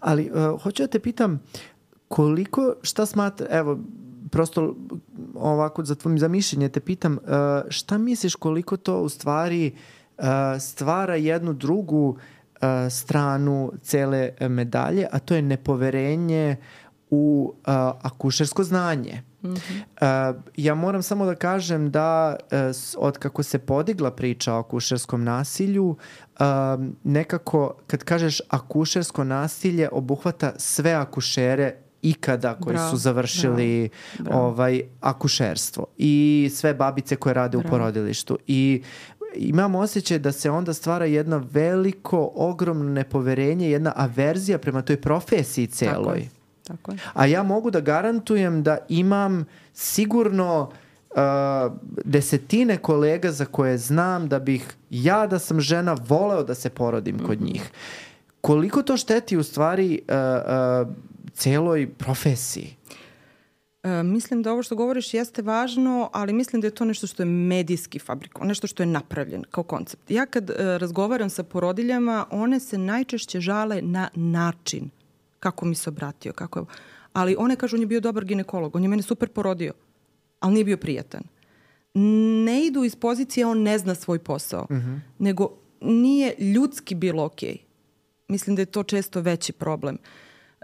Ali uh, hoću da te pitam, koliko, šta smatra, evo, prosto ovako za tvojim zamišljenje te pitam, uh, šta misliš koliko to u stvari uh, stvara jednu drugu uh, stranu cele medalje, a to je nepoverenje u uh, akušersko znanje. Mm-hmm. Uh, ja moram samo da kažem da uh, od kako se podigla priča o akušerskom nasilju, uh, nekako kad kažeš akušersko nasilje obuhvata sve akušere ikada koji bravo, su završili bravo, bravo. Ovaj, akušerstvo i sve babice koje rade bravo. U porodilištu. I imam osjećaj da se onda stvara jedno veliko, ogromno nepoverenje, jedna averzija prema toj profesiji celoj. Tako je. Tako je. A ja mogu da garantujem da imam sigurno uh, desetine kolega za koje znam da bih ja da sam žena voleo da se porodim mm-hmm. kod njih. Koliko to šteti u stvari uh, uh, celoj profesiji? E, mislim da ovo što govoriš jeste važno, ali mislim da je to nešto što je medijski fabrikovano, nešto što je napravljen kao koncept. Ja kad e, razgovaram sa porodiljama, one se najčešće žale na način kako mi se obratio, kako je... Ali one kažu, on je bio dobar ginekolog, on je mene super porodio, ali nije bio prijatan. Ne idu iz pozicije, on ne zna svoj posao, mm-hmm. nego nije ljudski bilo okej. Okay. Mislim da je to često veći problem.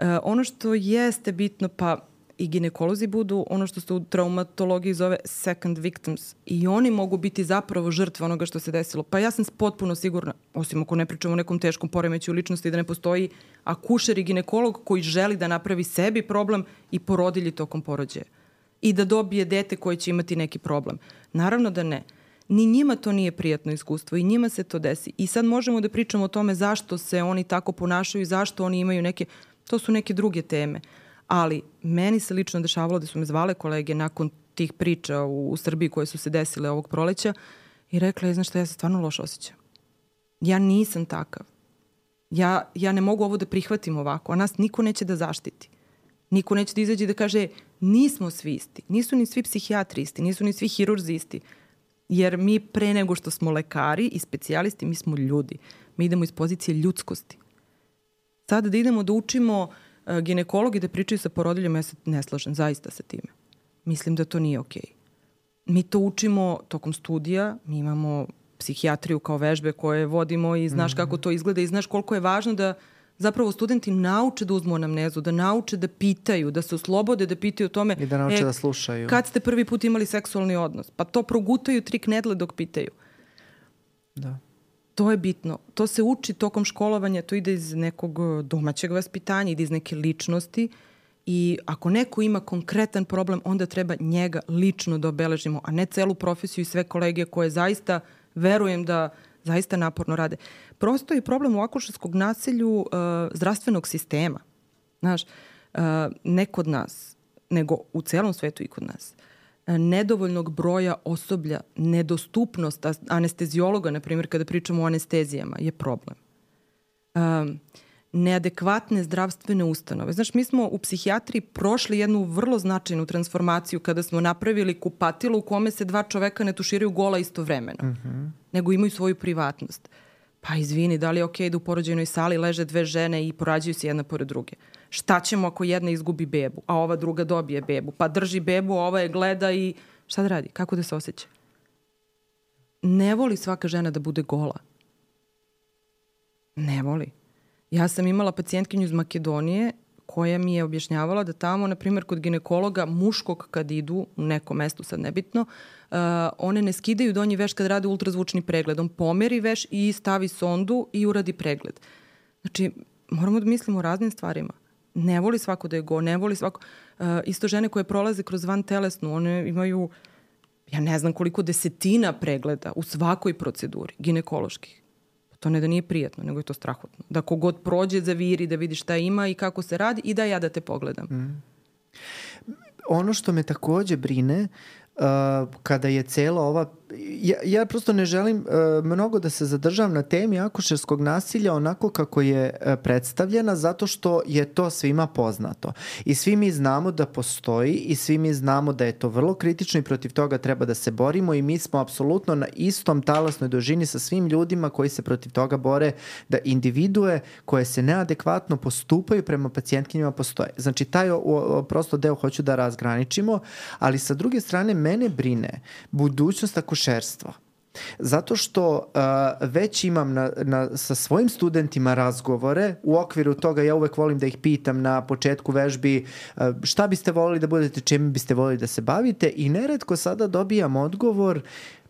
Uh, ono što jeste bitno, pa i ginekolozi budu ono što se u traumatologiji zove second victims i oni mogu biti zapravo žrtve onoga što se desilo. Pa ja sam potpuno sigurna, osim ako ne pričamo o nekom teškom poremećaju ličnosti, da ne postoji akušer i ginekolog koji želi da napravi sebi problem i porodilji tokom porođaja i da dobije dete koje će imati neki problem. Naravno da ne. Ni njima to nije prijatno iskustvo i njima se to desi. I sad možemo da pričamo o tome zašto se oni tako ponašaju i zašto oni imaju neke... To su neke druge teme. Ali meni se lično dešavalo da su me zvale kolege nakon tih priča u, u Srbiji koje su se desile ovog proleća i rekla je, znaš šta, ja se stvarno loše osjećam. Ja nisam takav. Ja, ja ne mogu ovo da prihvatim ovako, a nas niko neće da zaštiti. Niko neće da izađe i da kaže nismo svi isti, nisu ni svi psihijatri isti, nisu ni svi hirurzi isti. Jer mi pre nego što smo lekari i specijalisti, mi smo ljudi. Mi idemo iz pozicije ljudskosti. Sada da idemo da učimo uh, ginekologi da pričaju sa porodiljama, ja se ne slažem zaista sa time. Mislim da to nije okej. Mi to učimo tokom studija, mi imamo psihijatriju kao vežbe koje vodimo i znaš mm-hmm. kako to izgleda i znaš koliko je važno da zapravo studenti nauče da uzmu anamnezu, da nauče da pitaju, da se oslobode da pitaju o tome. I da nauče e, da slušaju. Kad ste prvi put imali seksualni odnos? Pa to progutaju tri knedle dok pitaju. Da. To je bitno. To se uči tokom školovanja, to ide iz nekog domaćeg vaspitanja, ide iz neke ličnosti i ako neko ima konkretan problem, onda treba njega lično da obeležimo, a ne celu profesiju i sve kolege koje zaista, verujem da zaista naporno rade. Prosto je problem u akušerskog nasilju uh, zdravstvenog sistema. Znaš, uh, ne kod nas, nego u celom svetu i kod nas. Uh, nedovoljnog broja osoblja, nedostupnost anestezijologa, na primjer, kada pričamo o anestezijama, je problem. Um, neadekvatne zdravstvene ustanove. Znaš, mi smo u psihijatriji prošli jednu vrlo značajnu transformaciju kada smo napravili kupatilo u kome se dva čoveka ne tuširaju gola istovremeno, mm-hmm. nego imaju svoju privatnost. Pa izvini, da li je okej da u porođajnoj sali leže dve žene i porađaju se jedna pored druge? Šta ćemo ako jedna izgubi bebu, a ova druga dobije bebu? Pa drži bebu, a ova je gleda i šta da radi? Kako da se osjeća? Ne voli svaka žena da bude gola. Ne voli. Ja sam imala pacijentkinju iz Makedonije koja mi je objašnjavala da tamo, na primjer, kod ginekologa muškog kad idu u neko mesto, sad nebitno, uh, one ne skidaju donji veš kad rade ultrazvučni pregled. On pomeri veš i stavi sondu i uradi pregled. Znači, moramo da mislimo o raznim stvarima. Ne voli svako da je go, ne voli svako... Uh, isto žene koje prolaze kroz vantelesnu, one imaju, ja ne znam koliko desetina pregleda u svakoj proceduri ginekoloških. To ne da nije prijatno, nego je to strahotno. Da kogod prođe, zaviri, da vidi šta ima i kako se radi i da ja da te pogledam. Mm. Ono što me takođe brine, uh, kada je cela ova... Ja, ja prosto ne želim uh, mnogo da se zadržavam na temi akušerskog nasilja onako kako je uh, predstavljena, zato što je to svima poznato. I svi mi znamo da postoji i svi mi znamo da je to vrlo kritično i protiv toga treba da se borimo i mi smo apsolutno na istom talasnoj dužini sa svim ljudima koji se protiv toga bore, da individue koje se neadekvatno postupaju prema pacijentkinjama postoje. Znači, taj o, o, prosto deo hoću da razgraničimo, ali sa druge strane mene brine budućnost akušerstva. Zato što uh, već imam na, na, sa svojim studentima razgovore, u okviru toga ja uvek volim da ih pitam na početku vežbi uh, šta biste volili da budete, čime biste volili da se bavite i neretko sada dobijam odgovor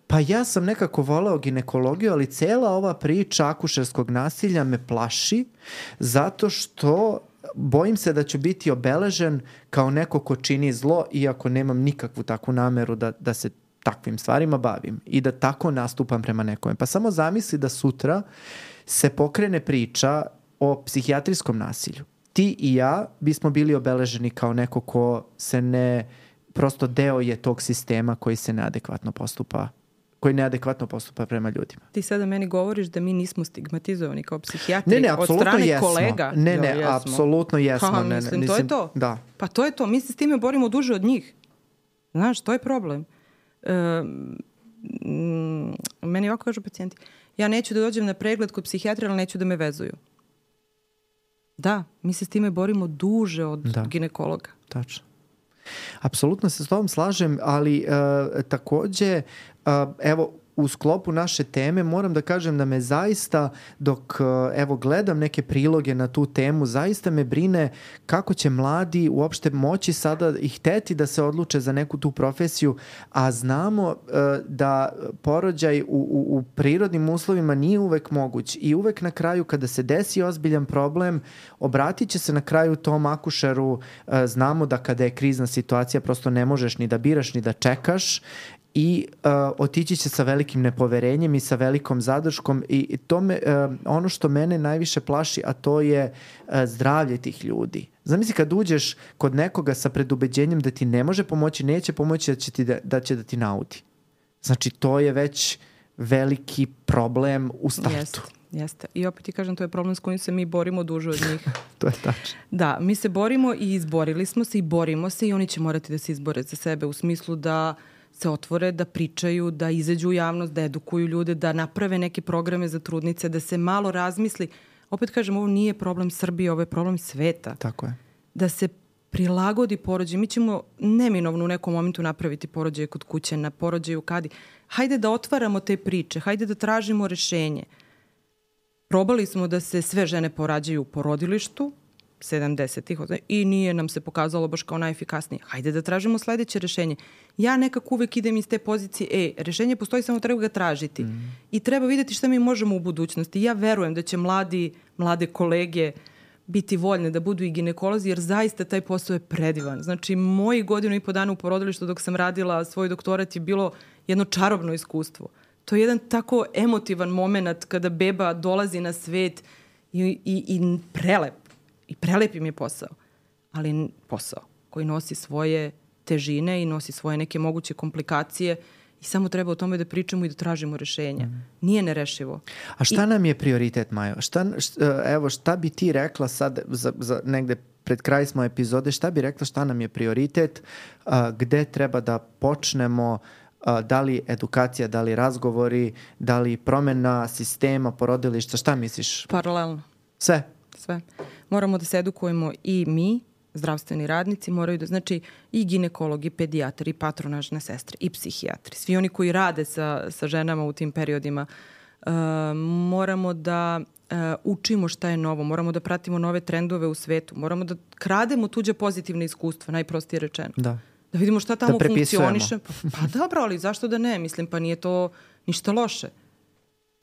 pa ja sam nekako voleo ginekologiju, ali cela ova priča akušerskog nasilja me plaši zato što bojim se da ću biti obeležen kao neko ko čini zlo, iako nemam nikakvu takvu nameru da, da se takvim stvarima bavim i da tako nastupam prema nekome. Pa samo zamisli da sutra se pokrene priča o psihijatrijskom nasilju. Ti i ja bismo bili obeleženi kao neko ko se ne, prosto deo je tog sistema koji se neadekvatno postupa koji neadekvatno postupa prema ljudima. Ti sada meni govoriš da mi nismo stigmatizovani kao psihijatri ne, ne, od strane jesmo. Kolega. Ne, ne, jo, apsolutno jesmo. Ha, ne, mislim, ne, to je to. Da. Pa to je to. Mi se s time borimo duže od njih. Znaš, to je problem. Um, meni ovako kažu pacijenti, ja neću da dođem na pregled kod psihijatra, ali neću da me vezuju. Da, mi se s time borimo duže od da. ginekologa. Tačno. Apsolutno se s tobom slažem, ali uh, takođe, uh, evo, u sklopu naše teme moram da kažem da me zaista, dok evo gledam neke priloge na tu temu, zaista me brine kako će mladi uopšte moći sada i hteti da se odluče za neku tu profesiju, a znamo uh, da porođaj u, u, u prirodnim uslovima nije uvek moguć i uvek na kraju kada se desi ozbiljan problem, obratit će se na kraju tom akušeru, uh, znamo da kada je krizna situacija prosto ne možeš ni da biraš ni da čekaš i uh, otići će sa velikim nepoverenjem i sa velikom zadrškom i to me, uh, ono što mene najviše plaši, a to je uh, zdravlje tih ljudi. Zamisli kad uđeš kod nekoga sa predubeđenjem da ti ne može pomoći, neće pomoći, da će, ti da, da će da ti naudi. Znači to je već veliki problem u startu. Jeste, jeste. I opet ti kažem, to je problem s kojim se mi borimo duže od njih. To je tačno. Da, mi se borimo i izborili smo se i borimo se i oni će morati da se izbore za sebe u smislu da se otvore, da pričaju, da izađu u javnost, da edukuju ljude, da naprave neke programe za trudnice, da se malo razmisli. Opet kažem, ovo nije problem Srbije, ovo je problem sveta. Tako je. Da se prilagodi porođaj. Mi ćemo neminovno u nekom momentu napraviti porođaje kod kuće, na porođaju kadi. Hajde da otvaramo te priče, hajde da tražimo rešenje. Probali smo da se sve žene porađaju u porodilištu, sedamdesetih i nije nam se pokazalo baš kao najefikasnije. Hajde da tražimo sledeće rešenje. Ja nekako uvek idem iz te pozicije, e, rešenje postoji, samo treba ga tražiti. Mm. I treba videti šta mi možemo u budućnosti. Ja verujem da će mladi, mlade kolege biti voljne da budu i ginekolozi, jer zaista taj posao je predivan. Znači, moji godinu i po dana u porodilištu dok sam radila svoj doktorat je bilo jedno čarobno iskustvo. To je jedan tako emotivan moment kada beba dolazi na svet i, i, i prelep. I prelep im je posao. Ali posao koji nosi svoje težine i nosi svoje neke moguće komplikacije i samo treba o tome da pričamo i da tražimo rešenja. Mm. Nije nerešivo. A šta I... nam je prioritet, Majo? Šta, šta, evo, šta bi ti rekla sad, za, za negde pred kraj smo epizode, šta bi rekla šta nam je prioritet, a, gde treba da počnemo, a, da li edukacija, da li razgovori, da li promena sistema, porodilišta, šta misliš? Paralelno. Sve? Sve. Moramo da se edukujemo i mi, zdravstveni radnici, moraju da, znači i ginekologi, i pedijatri, i patronažne sestre, i psihijatri, svi oni koji rade sa, sa ženama u tim periodima, uh, moramo da uh, učimo šta je novo, moramo da pratimo nove trendove u svetu, moramo da krademo tuđe pozitivne iskustva, najprostije rečeno. Da. Da vidimo šta tamo da funkcioniše. Pa, pa dobro, ali zašto da ne? Mislim, pa nije to ništa loše.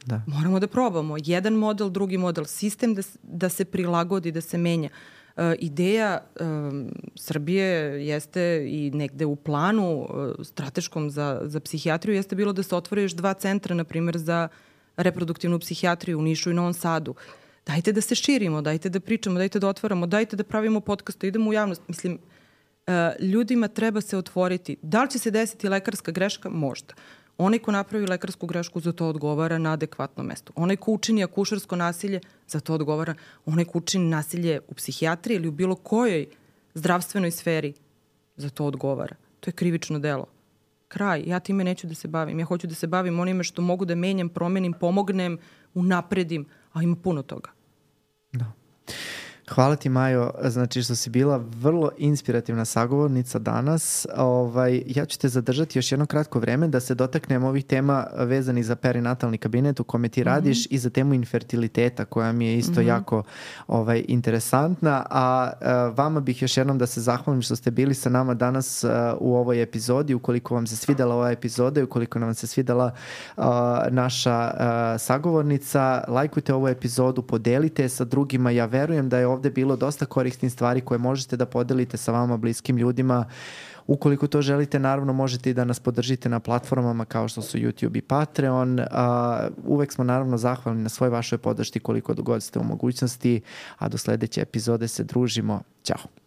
Da. Moramo da probamo. Jedan model, drugi model, sistem da, da se prilagodi, da se menja. Uh, ideja um, Srbije jeste i negde u planu uh, strateškom za, za psihijatriju jeste bilo da se otvore još dva centra, na primjer, za reproduktivnu psihijatriju u Nišu i Novom Sadu. Dajte da se širimo, dajte da pričamo, dajte da otvaramo, dajte da pravimo podcast, idemo u javnost. Mislim, uh, ljudima treba se otvoriti. Da li će se desiti lekarska greška? Možda. Onaj ko napravi lekarsku grešku, za to odgovara na adekvatnom mestu. Onaj ko učini akušersko nasilje, za to odgovara. Onaj ko učini nasilje u psihijatriji ili u bilo kojoj zdravstvenoj sferi, za to odgovara. To je krivično delo. Kraj. Ja time neću da se bavim. Ja hoću da se bavim onime što mogu da menjam, promenim, pomognem, unapredim, a ima puno toga. Da. Hvala ti, Majo, znači što si bila vrlo inspirativna sagovornica danas. Ovaj, ja ću te zadržati još jedno kratko vreme da se dotaknem ovih tema vezanih za perinatalni kabinet u kome ti radiš mm-hmm. i za temu infertiliteta koja mi je isto mm-hmm. jako ovaj, interesantna. A, a vama bih još jednom da se zahvalim što ste bili sa nama danas a, u ovoj epizodi. Ukoliko vam se svidela ova epizoda i ukoliko nam se svidela a, naša a, sagovornica, lajkujte ovu epizodu, podelite sa drugima. Ja verujem da je ovde bilo dosta korisnih stvari koje možete da podelite sa vama bliskim ljudima. Ukoliko to želite, naravno možete i da nas podržite na platformama kao što su YouTube i Patreon. Uh, uvek smo naravno zahvalni na svoj vašoj podršci koliko god ste u mogućnosti, a do sledeće epizode se družimo. Ćao!